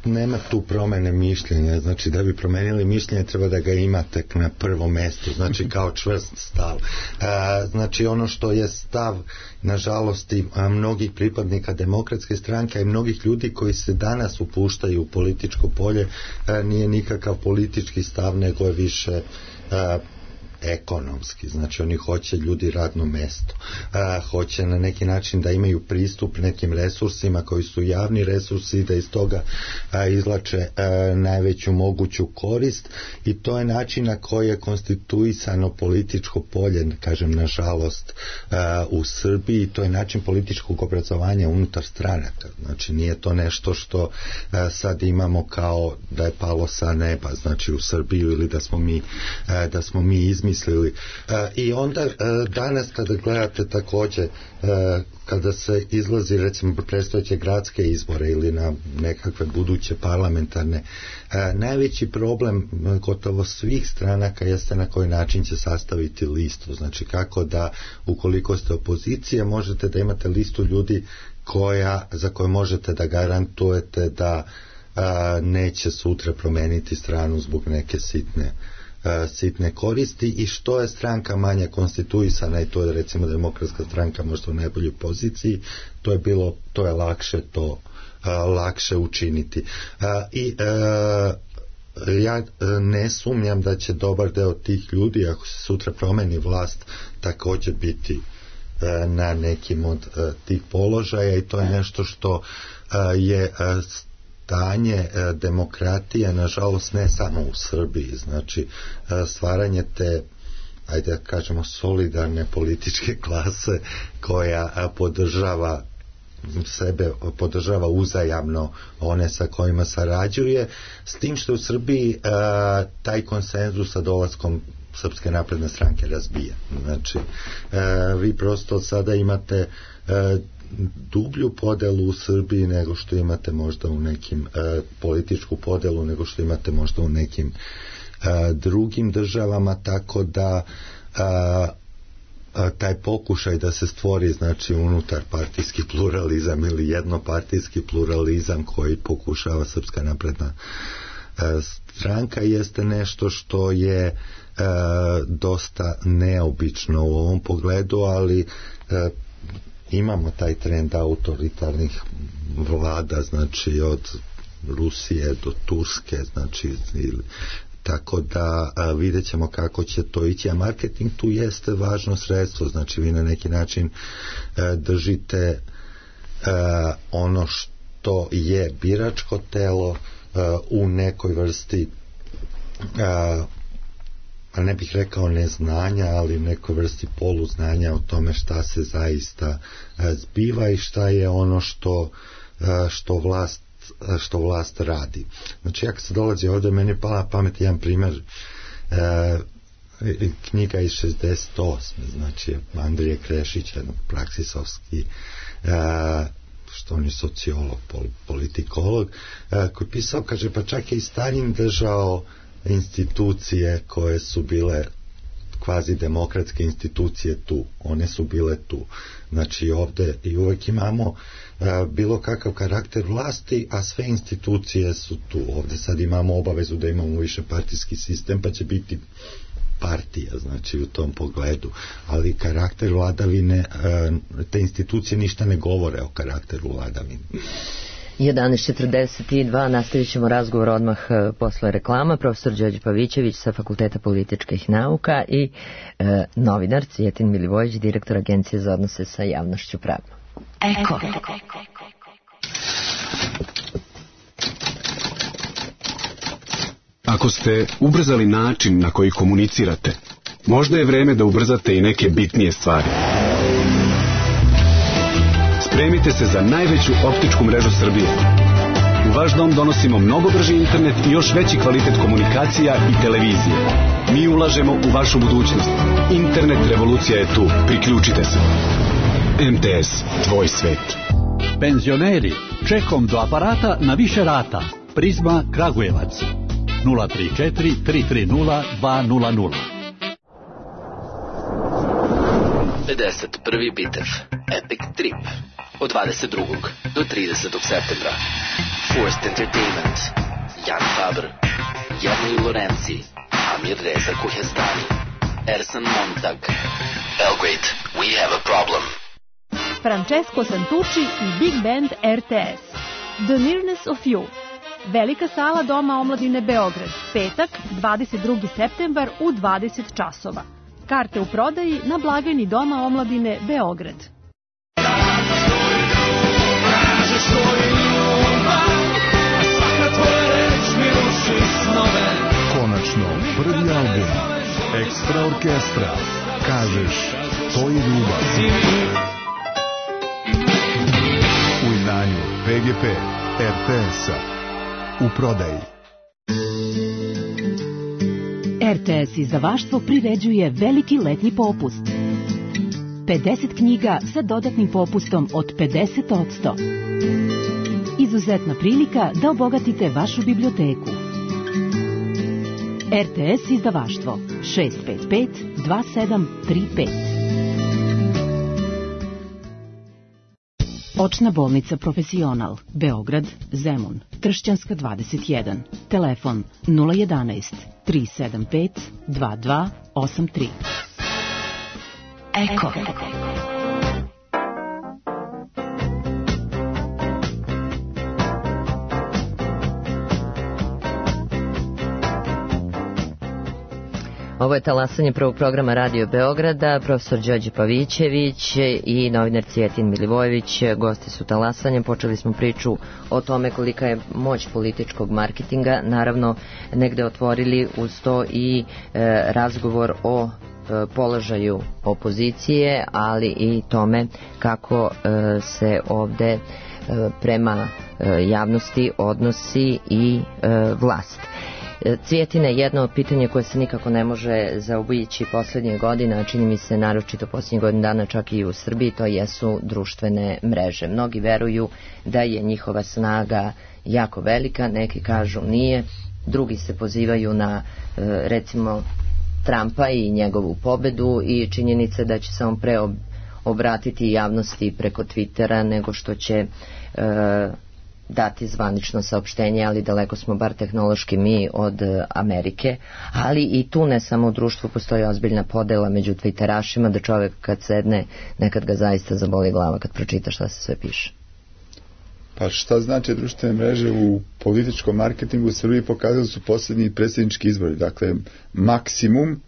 nema tu promene mišljenja, znači da bi promenili mišljenje treba da ga imate na prvom mestu, znači kao čvrst stav. Znači ono što je stav, nažalost, i mnogih pripadnika Demokratske stranke i mnogih ljudi koji se danas upuštaju u političko polje, nije nikakav politički stav, nego je više ekonomski, znači oni hoće ljudi radno mesto, a, hoće na neki način da imaju pristup nekim resursima koji su javni resursi, da iz toga a, izlače a, najveću moguću korist, i to je način na koji je konstituisano političko polje, kažem nažalost, a, u Srbiji. To je način političkog obrazovanja unutar stranaka, znači nije to nešto što a, sad imamo kao da je palo sa neba, znači u Srbiju, ili da smo mi a, da smo mi izmislili mislili. E, I onda e, danas kada gledate takođe, e, kada se izlazi recimo predstojeće gradske izbore ili na nekakve buduće parlamentarne, e, najveći problem gotovo svih stranaka jeste na koji način će sastaviti listu. Znači kako da, ukoliko ste opozicija, možete da imate listu ljudi koja, za koje možete da garantujete da a, neće sutra promeniti stranu zbog neke sitne sitne koristi, i što je stranka manje konstituisana, i to je recimo Demokratska stranka možda u najboljoj poziciji, to je bilo, to je lakše to a, lakše učiniti. A, i a, ja ne sumnjam da će dobar deo tih ljudi, ako se sutra promeni vlast, također biti a, na nekim od a, tih položaja, i to je nešto što a, je a, stanje demokratije, nažalost, ne samo u Srbiji, znači stvaranje te, ajde da kažemo, solidarne političke klase koja podržava sebe, podržava uzajamno one sa kojima sarađuje, s tim što u Srbiji a, taj konsenzus sa dolaskom Srpske napredne stranke razbija. Znači, a, vi prosto sada imate a, dublju podelu u Srbiji nego što imate možda u nekim e, političku podelu nego što imate možda u nekim e, drugim državama, tako da a, a, taj pokušaj da se stvori, znači, unutar partijski pluralizam ili jednopartijski pluralizam koji pokušava Srpska napredna e, stranka, jeste nešto što je e, dosta neobično u ovom pogledu, ali e, imamo taj trend autoritarnih vlada, znači od Rusije do Turske, znači ili, tako da a, vidjet ćemo kako će to ići, a marketing tu jeste važno sredstvo, znači vi na neki način a, držite a, ono što je biračko telo a, u nekoj vrsti a, a ne bih rekao neznanja, ali nekoj vrsti poluznanja o tome šta se zaista zbiva i šta je ono što, što vlast što vlast radi. Znači, jak se dolazi ovdje, meni je pala pamet jedan primjer, e, knjiga iz šezdeset osme, znači Andrije Krešić, jedan praksisovski, e, što on je sociolog, pol, politikolog, e, koji pisao, kaže, pa čak je i Stalin držao institucije koje su bile kvazi demokratske institucije tu, one su bile tu, znači ovde i uvek imamo a, bilo kakav karakter vlasti, a sve institucije su tu. Ovde sad imamo obavezu da imamo više partijski sistem, pa će biti partija, znači u tom pogledu, ali karakter vladavine, a, te institucije ništa ne govore o karakteru vladavine. jedanaest četrdeset dva, nastavit ćemo razgovor odmah posle reklama. Profesor Đorđe Pavićević sa Fakulteta političkih nauka i e, novinar Cvijetin Milivojević, direktor Agencije za odnose sa javnošću Pravno. Eko. Ako ste ubrzali način na koji komunicirate, možda je vreme da ubrzate i neke bitnije stvari. Spremite se za najveću optičku mrežu Srbije. U vaš dom donosimo mnogo brži internet i još veći kvalitet komunikacija i televizije. Mi ulažemo u vašu budućnost. Internet revolucija je tu. Priključite se. M T S, tvoj svet. Penzioneri, čekom do aparata na više rata. Prizma Kragujevac. nula tri četiri tri tri nula dva nula nula. pedeset prvi bitev. Epic Trip. od dvadeset drugog do tridesetog septembra. Forced Entertainment, Jan Faber, Jernej Lorenzi, Amir Reza Kuhestani, Ersan Montag. Belgrade, we have a problem. Francesco Santucci i Big Band R T S. The Nearness of You. Velika sala Doma omladine Beograd. Petak, dvadeset drugi septembar u dvadeset časova. Karte u prodaji na blagajni Doma omladine Beograd. Konačno, prvi album Ekstra orkestra. Kažeš, to je ljubav. U izdanju P G P R T S-a. U prodaji. R T S izdavaštvo priređuje veliki letnji popust. pedeset knjiga sa dodatnim popustom od pedeset posto. Izuzetna prilika da obogatite vašu biblioteku. R T S izdavaštvo šest pet pet dva sedam tri pet. Očna bolnica Profesional, Beograd, Zemun, Tršćanska dvadeset jedan. Telefon nula jedanaest tri sedam pet dva dva osam tri. Eko. Ovo je talasanje prvog programa Radio Beograda, profesor Đorđe Pavićević i novinar Cvijetin Milivojević. Gosti su talasanja. Počeli smo priču o tome kolika je moć političkog marketinga. Naravno, negde otvorili uz to i e, razgovor o e, položaju opozicije, ali i tome kako e, se ovde e, prema e, javnosti odnosi i e, vlast. Cvjetine, jedno od pitanja koje se nikako ne može zaobići poslednje godine, a čini mi se naročito poslednjih godina dana čak i u Srbiji, to jesu društvene mreže. Mnogi veruju da je njihova snaga jako velika, neki kažu nije, drugi se pozivaju na recimo Trumpa i njegovu pobedu i činjenice da će se on pre obratiti javnosti preko Twittera nego što će dati zvanično saopštenje, ali daleko smo bar tehnološki mi od Amerike, ali i tu ne samo u društvu postoji ozbiljna podela među twitterašima da čovjek kad sedne nekad ga zaista zaboli glava kad pročita šta se sve piše. Pa šta znači društvene mreže u političkom marketingu u Srbiji pokazali su posljednji predsjednički izbori, dakle maksimum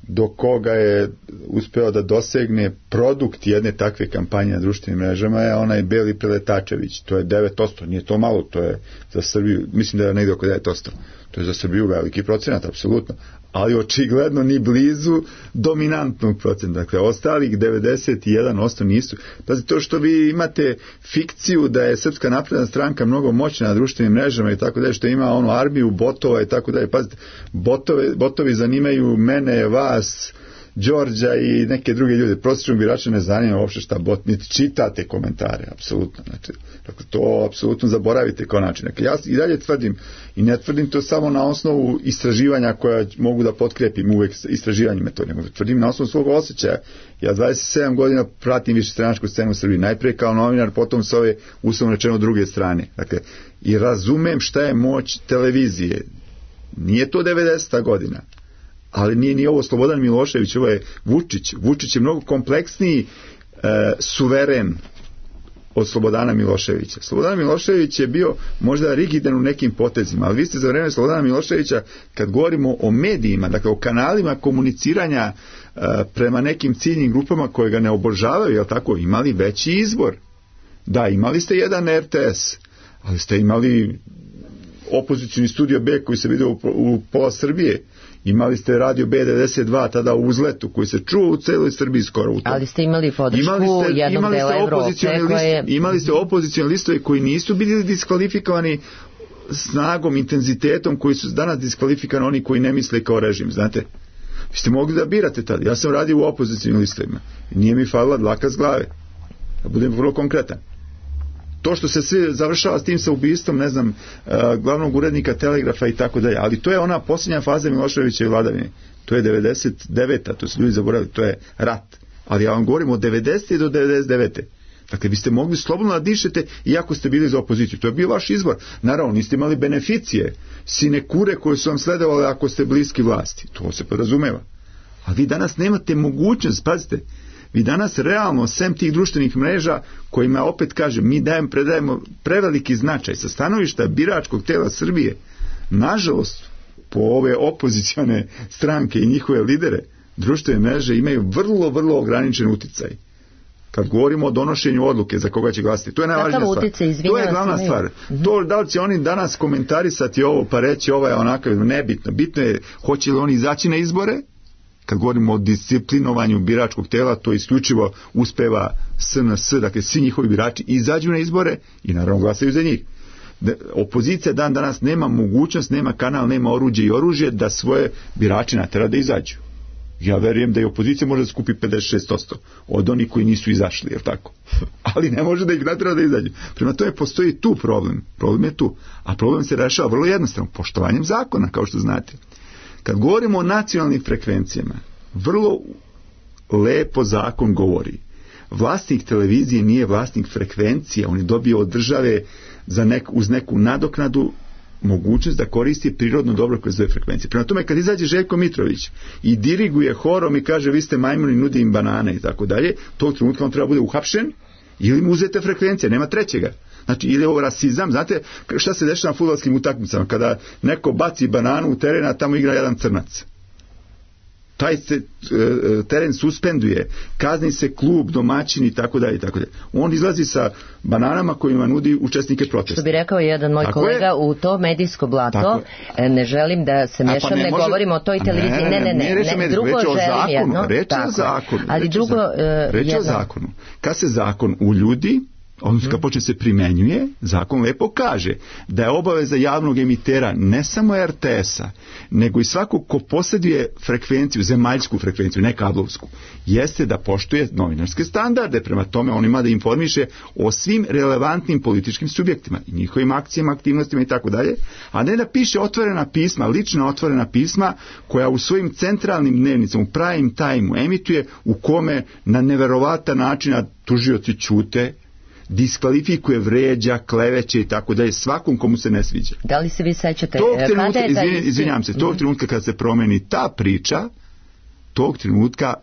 do koga je uspeo da dosegne produkt jedne takve kampanje na društvenim mrežama je onaj Beli Preletačević, to je devet posto, nije to malo, to je za Srbiju, mislim da je negdje oko devet posto, to je za Srbiju veliki procenat, apsolutno, ali očigledno ni blizu dominantnog procenta, dakle ostalih devedeset jedan posto nisu. Pazite, to što vi imate fikciju da je Srpska napredna stranka mnogo moćna na društvenim mrežama i tako dalje, što ima onu armiju botova i tako dalje, pazite, botove, botovi zanimaju mene, vas, Đorđa i neke druge ljude, prosječnog birača ne zanima uopšte šta bot, niti čitate komentare, apsolutno, znači, dakle, to apsolutno zaboravite kao način. Dakle, ja i dalje tvrdim, i ne tvrdim to samo na osnovu istraživanja koja mogu da potkrepim uvek istraživanjima to, nego tvrdim na osnovu svog osjećaja. Ja dvadeset sedam godina pratim višestranačku scenu u Srbiji, najpre kao novinar, potom s ove uslovno rečeno druge strane. Dakle, i razumem šta je moć televizije. Nije to devedeseta godina. Ali nije ni ovo Slobodan Milošević, ovo je Vučić. Vučić je mnogo kompleksniji e, suveren od Slobodana Miloševića. Slobodan Milošević je bio možda rigidan u nekim potezima, ali vi ste za vreme Slobodana Miloševića, kad govorimo o medijima, dakle o kanalima komuniciranja e, prema nekim ciljnim grupama koje ga ne obožavaju, jel tako, imali veći izbor. Da, imali ste jedan R T S, ali ste imali opozicioni studio B koji se vidio u, u pola Srbije. Imali ste radio B devedeset dva tada u uzletu koji se čuo u celoj Srbiji skoro u tom. Ali ste imali podršku imali ste, jednog imali dela Evrope koje... Imali ste opozicioni listove koji nisu bili diskvalifikovani snagom, intenzitetom koji su danas diskvalifikovani oni koji ne misle kao režim, znate. Vi ste mogli da birate tada. Ja sam radio u opozicionim listovima. Nije mi falila dlaka s glave. Da budem vrlo konkretan. To što se sve završava s tim sa ubistvom, ne znam, glavnog urednika Telegrafa i tako dalje, ali to je ona posljednja faza Miloševićeve vladavine. To je devedeset deveta, to su ljudi zaboravili, to je rat. Ali ja vam govorim od devedesete do devedeset devete. Dakle, vi ste mogli slobodno da dišete iako ste bili za opoziciju. To je bio vaš izbor. Naravno, niste imali beneficije, sinekure koje su vam sledovali ako ste bliski vlasti. To se podrazumeva. A vi danas nemate mogućnost, pazite, vi danas realno, sem tih društvenih mreža, kojima opet kažem, mi dajem, predajemo preveliki značaj sa stanovišta biračkog tela Srbije, nažalost, po ove opozicione stranke i njihove lidere, društvene mreže imaju vrlo, vrlo ograničen uticaj. Kad govorimo o donošenju odluke za koga će glasiti, to je najvažnija stvar. Utjecaj, to je glavna stvar. Mm-hmm. To da li će oni danas komentarisati ovo pa reći ovo je onako, nebitno. Bitno je hoće li oni izaći na izbore. Kad govorimo o disciplinovanju biračkog tela, to isključivo uspeva S N S, dakle svi njihovi birači izađu na izbore i naravno glasaju za njih. Opozicija dan danas nema mogućnost, nema kanal, nema oruđe i oružje da svoje birače natera da izađu. Ja verujem da i opozicija može da skupi pedeset šest posto od onih koji nisu izašli, jer tako? Ali ne može da ih natera da izađu. Prema tome postoji tu problem. Problem je tu. A problem se rešava vrlo jednostavno, poštovanjem zakona, kao što znate. Kad govorimo o nacionalnim frekvencijama, vrlo lepo zakon govori. Vlasnik televizije nije vlasnik frekvencije, on je dobio od države za nek, uz neku nadoknadu mogućnost da koristi prirodno dobro kroz dve frekvencije. Prema tome, kad izađe Željko Mitrović i diriguje horom i kaže vi ste majmuni, nudi im banane i tako dalje, tog trenutka on treba bude uhapšen ili mu uzete frekvencija, nema trećega. Znači, ili ovo rasizam, znate šta se dešava na fudbalskim utakmicama, kada neko baci bananu u teren, a tamo igra jedan crnac. Taj se e, teren suspenduje, kazni se klub, domaćin i tako dalje i tako dalje. On izlazi sa bananama kojima nudi učesnike protesta. Što bi rekao jedan moj tako kolega, je, u to medijsko blato ne želim da se mešam, pa ne, ne može, govorimo o toj televiziji, ne, ne, ne, ne, ne, ne drugo želim jedno. Reč je o zakonu. Ali drugo, reč je o zakonu. Kad se zakon uljudi, odnosno kad počne se primenjuje, zakon lepo kaže da je obaveza javnog emitera ne samo R T S-a, nego i svakog ko posjeduje frekvenciju, zemaljsku frekvenciju, ne kablovsku, jeste da poštuje novinarske standarde, prema tome on ima da informiše o svim relevantnim političkim subjektima i njihovim akcijama, aktivnostima i tako dalje, a ne da piše otvorena pisma, lična otvorena pisma koja u svojim centralnim dnevnicama, u prime time-u emituje u kome na neverovatan način tužioci ćute, diskvalifikuje, vređa, kleveće i tako dalje svakom komu se ne sviđa. Da li se vi sećate? Tog trenutka, izvin, izvinjam se, tog trenutka kad se promeni ta priča, tog trenutka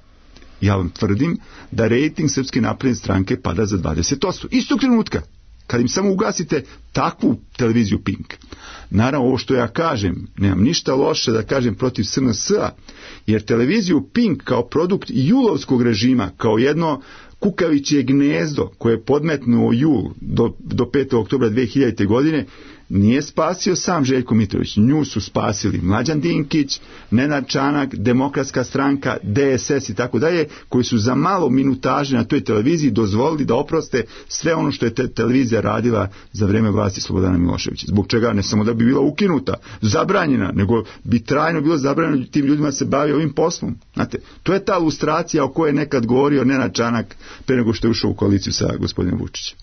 ja vam tvrdim da rejting Srpske napredne stranke pada za dvadeset posto. Istog trenutka, kad im samo ugasite takvu televiziju Pink. Naravno, ovo što ja kažem, nemam ništa loše da kažem protiv S N S-a, jer televiziju Pink kao produkt julovskog režima, kao jedno kukavičje gnezdo koje je podmetnuo jul do, do petog oktobra dve hiljadite. godine, nije spasio sam Željko Mitrović. Nju su spasili Mlađan Dinkić, Nenad Čanak, Demokratska stranka, D S S i tako dalje, koji su za malo minutaže na toj televiziji dozvolili da oproste sve ono što je te televizija radila za vreme vlasti Slobodana Miloševića. Zbog čega ne samo da bi bila ukinuta, zabranjena, nego bi trajno bilo zabranjeno tim ljudima se bavi ovim poslom. Znate, to je ta lustracija o kojoj je nekad govorio Nenad Čanak pre nego što je ušao u koaliciju sa gospodinom Vučićem.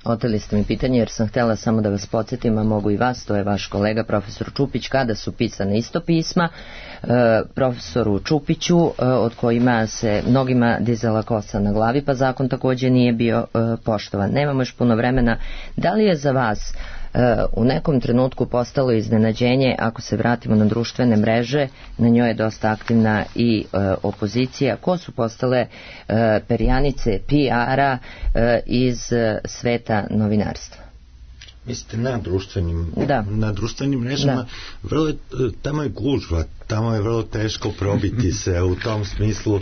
Oteli ste mi pitanje jer sam htjela samo da vas podsjetim, a mogu i vas, to je vaš kolega profesor Čupić, kada su pisane isto pisma e, profesoru Čupiću, e, od kojima se mnogima dizala kosa na glavi, pa zakon također nije bio e, poštovan. Nemamo još puno vremena. Da li je za vas u nekom trenutku postalo iznenađenje, ako se vratimo na društvene mreže, na njoj je dosta aktivna i e, opozicija, ko su postale e, perjanice P R-a e, iz e, sveta novinarstva? Mislite na društvenim, da. na društvenim mrežama, da. vrlo, tamo je gužva, tamo je vrlo teško probiti se u tom smislu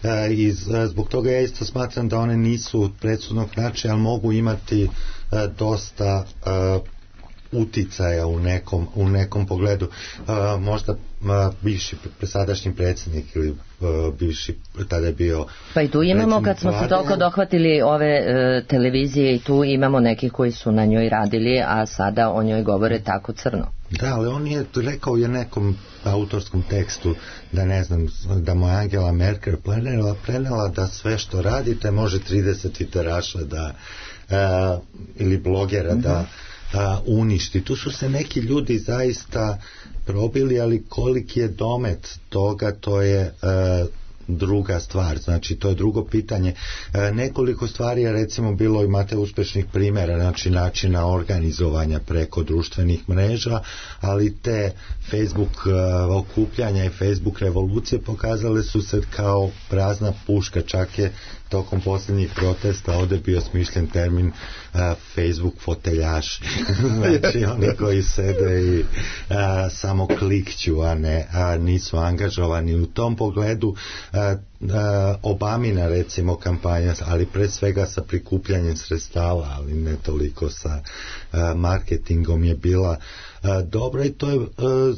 e, i zbog toga ja isto smatram da one nisu predsudnog značaja, ali mogu imati e, dosta e, uticaja u nekom, u nekom pogledu. E, možda a, bivši presadašnji predsjednik ili a, bivši, tada je bio pa i tu imamo, kad smo vlade, se toliko dohvatili ove e, televizije i tu imamo neki koji su na njoj radili, a sada o njoj govore tako crno. Da, ali on je rekao je nekom autorskom tekstu da ne znam, da mu Angela Merkel prenela, prenela da sve što radite može trideset tviteraša da a, ili blogera mm-hmm. da a, uništi. Tu su se neki ljudi zaista probili, ali koliki je domet toga, to je a, druga stvar, znači to je drugo pitanje. E, nekoliko stvari je recimo bilo, imate uspešnih primjera, znači načina organizovanja preko društvenih mreža, ali te Facebook e, okupljanja i Facebook revolucije pokazale su se kao prazna puška, čak je tokom posljednjih protesta ovdje bio smišljen termin uh, Facebook foteljaši. Znači oni koji sede i uh, samo klikću, a ne a nisu angažovani. U tom pogledu uh, uh, Obamina recimo kampanja, ali pre svega sa prikupljanjem sredstava, ali ne toliko sa uh, marketingom je bila uh, dobra i to je, uh,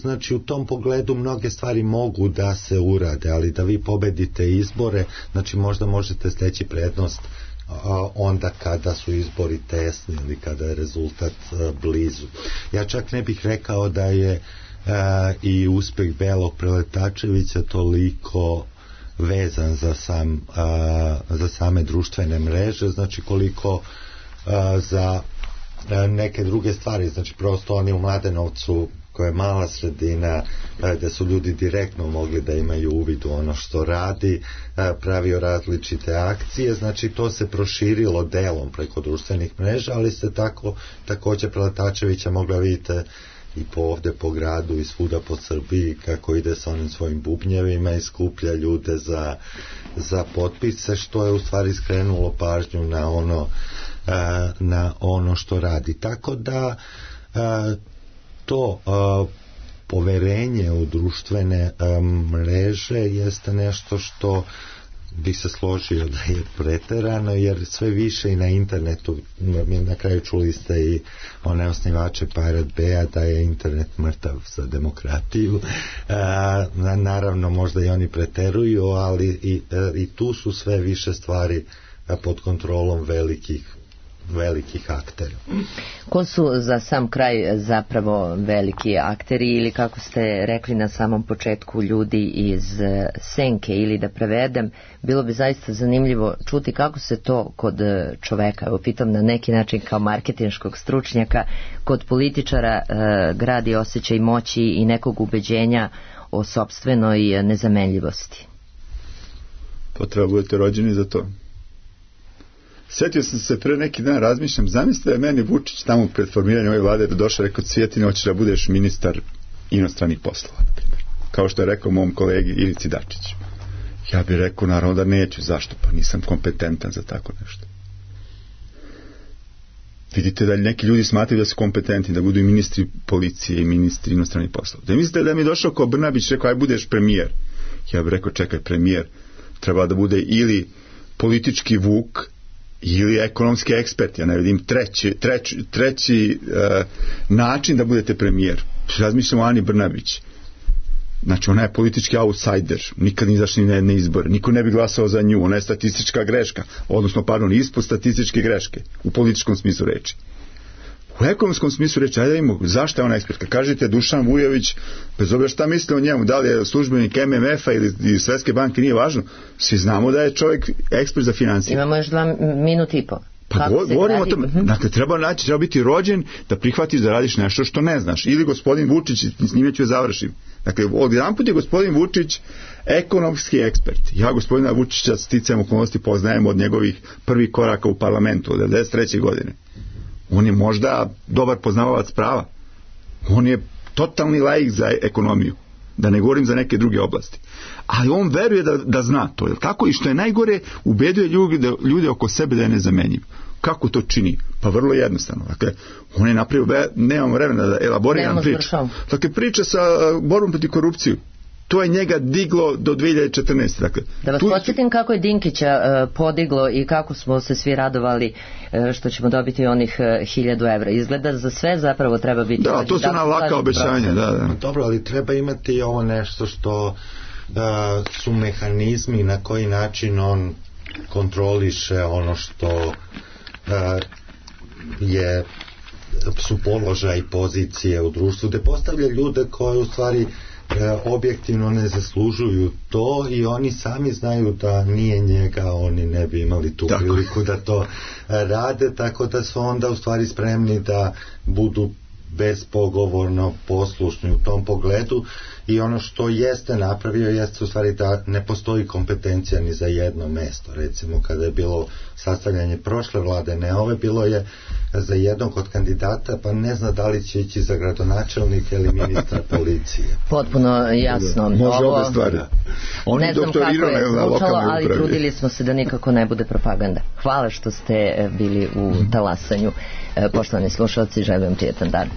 znači u tom pogledu mnoge stvari mogu da se urade, ali da vi pobedite izbore, znači možda možete steći prednost a, onda kada su izbori tesni ili kada je rezultat a, blizu. Ja čak ne bih rekao da je a, i uspeh Belog Preletačevića toliko vezan za, sam, a, za same društvene mreže, znači koliko a, za a, neke druge stvari, znači prosto oni u Mladenovcu koja je mala sredina gdje su ljudi direktno mogli da imaju uvid u ono što radi, pravio različite akcije, znači to se proširilo delom preko društvenih mreža, ali ste tako također Preletačevića mogla vidite i po ovdje po gradu i svuda po Srbiji kako ide sa onim svojim bubnjevima i skuplja ljude za, za potpise, što je u stvari skrenulo pažnju na ono, na ono što radi. Tako da to uh, poverenje u društvene um, mreže jeste nešto što bi se složio da je preterano, jer sve više i na internetu, mi na kraju čuli ste i one osnivače Pirate Bay-a da je internet mrtav za demokratiju. Uh, naravno možda i oni preteruju, ali i, uh, i tu su sve više stvari uh, pod kontrolom velikih velikih aktera. Ko su za sam kraj zapravo veliki akteri ili kako ste rekli na samom početku ljudi iz senke, ili da prevedem, bilo bi zaista zanimljivo čuti kako se to kod čoveka, evo pitam na neki način kao marketinškog stručnjaka, kod političara e, gradi osjećaj moći i nekog ubeđenja o sopstvenoj nezamenljivosti. To treba budete rođeni za to. Sjetio sam se pre neki dan, razmišljam, zamislite da je meni Vučić tamo pred formiranjem ove vlade došao, rekao, Cvjetine, hoćeš da budeš ministar inostranih poslova, na primjer. Kao što je rekao mom kolegi Ivici Dačiću. Ja bih rekao, naravno da neću. Zašto? Pa nisam kompetentan za tako nešto. Vidite da neki ljudi smatraju da su kompetentni, da budu i ministri policije i ministri inostranih poslova. Da mislite da mi je došao kao Brnabić, rekao, aj budeš premijer. Ja bih rekao, čekaj, premijer treba da bude ili politički vuk, ili ekonomski ekspert, ja ne vidim treći, treći, treći uh, način da budete premijer. Razmišljamo o Ani Brnabić. Znači, ona je politički outsider, nikad ni izašli na jedne izbore, niko ne bi glasao za nju, ona je statistička greška, odnosno, pardon, ispod statističke greške, u političkom smislu reči. U ekonomskom smislu reći, ajde imamo, zašto je ona ekspertka? Kažete Dušan Vujović, bez obzira šta misle o njemu, da li je službenik M M F-a ili, ili Svetske banke, nije važno. Svi znamo da je čovjek ekspert za financije. Imamo još dva minuta i po. Pa govorimo o tome, dakle, treba naći, treba biti rođen da prihvatiš da radiš nešto što ne znaš. Ili gospodin Vučić, s njime ću završim. Dakle, od jedan put je gospodin Vučić ekonomski ekspert. Ja gospodina Vučića sticajem okolnosti poznajem od njegovih prvih koraka u parlamentu, od devedeset treće godine. On je možda dobar poznavalac prava. On je totalni laik za ekonomiju. Da ne govorim za neke druge oblasti. Ali on veruje da, da zna to. Jel tako? I što je najgore, ubeđuje ljude, ljude oko sebe da je nezamenjiv. Kako to čini? Pa vrlo jednostavno. Dakle, on je napravio, nemam vremena da elaboriram priču. Dakle, priča sa borbom protiv korupciju. To je njega diglo do dve hiljade četrnaeste. Dakle, da vas tu... podsjetim kako je Dinkića uh, podiglo i kako smo se svi radovali uh, što ćemo dobiti onih uh, hiljadu evra. Izgleda za sve zapravo treba biti... Da, to su ona laka obećanja. Da, da. Dobro, ali treba imati i ovo nešto što uh, su mehanizmi na koji način on kontroliše ono što uh, je su položaj i pozicije u društvu, gde postavlja ljude koje u stvari objektivno ne zaslužuju to i oni sami znaju da nije njega, oni ne bi imali tu priliku da to rade, tako da su onda u stvari spremni da budu bespogovorno poslušni u tom pogledu i ono što jeste napravio jeste u stvari da ne postoji kompetencija ni za jedno mesto. Recimo kada je bilo sastavljanje prošle vlade, ne ove, bilo je za jednog od kandidata, pa ne zna da li će ići za gradonačelnika ili ministra policije. Potpuno jasno. Može Ovo, obe stvari. Oni ne znam kako je doktoriraju na zvučalo, lokalnoj ali upravi. trudili smo se da nikako ne bude propaganda. Hvala što ste bili u talasanju. Poštovani slušalci, želim vam prijetan dan.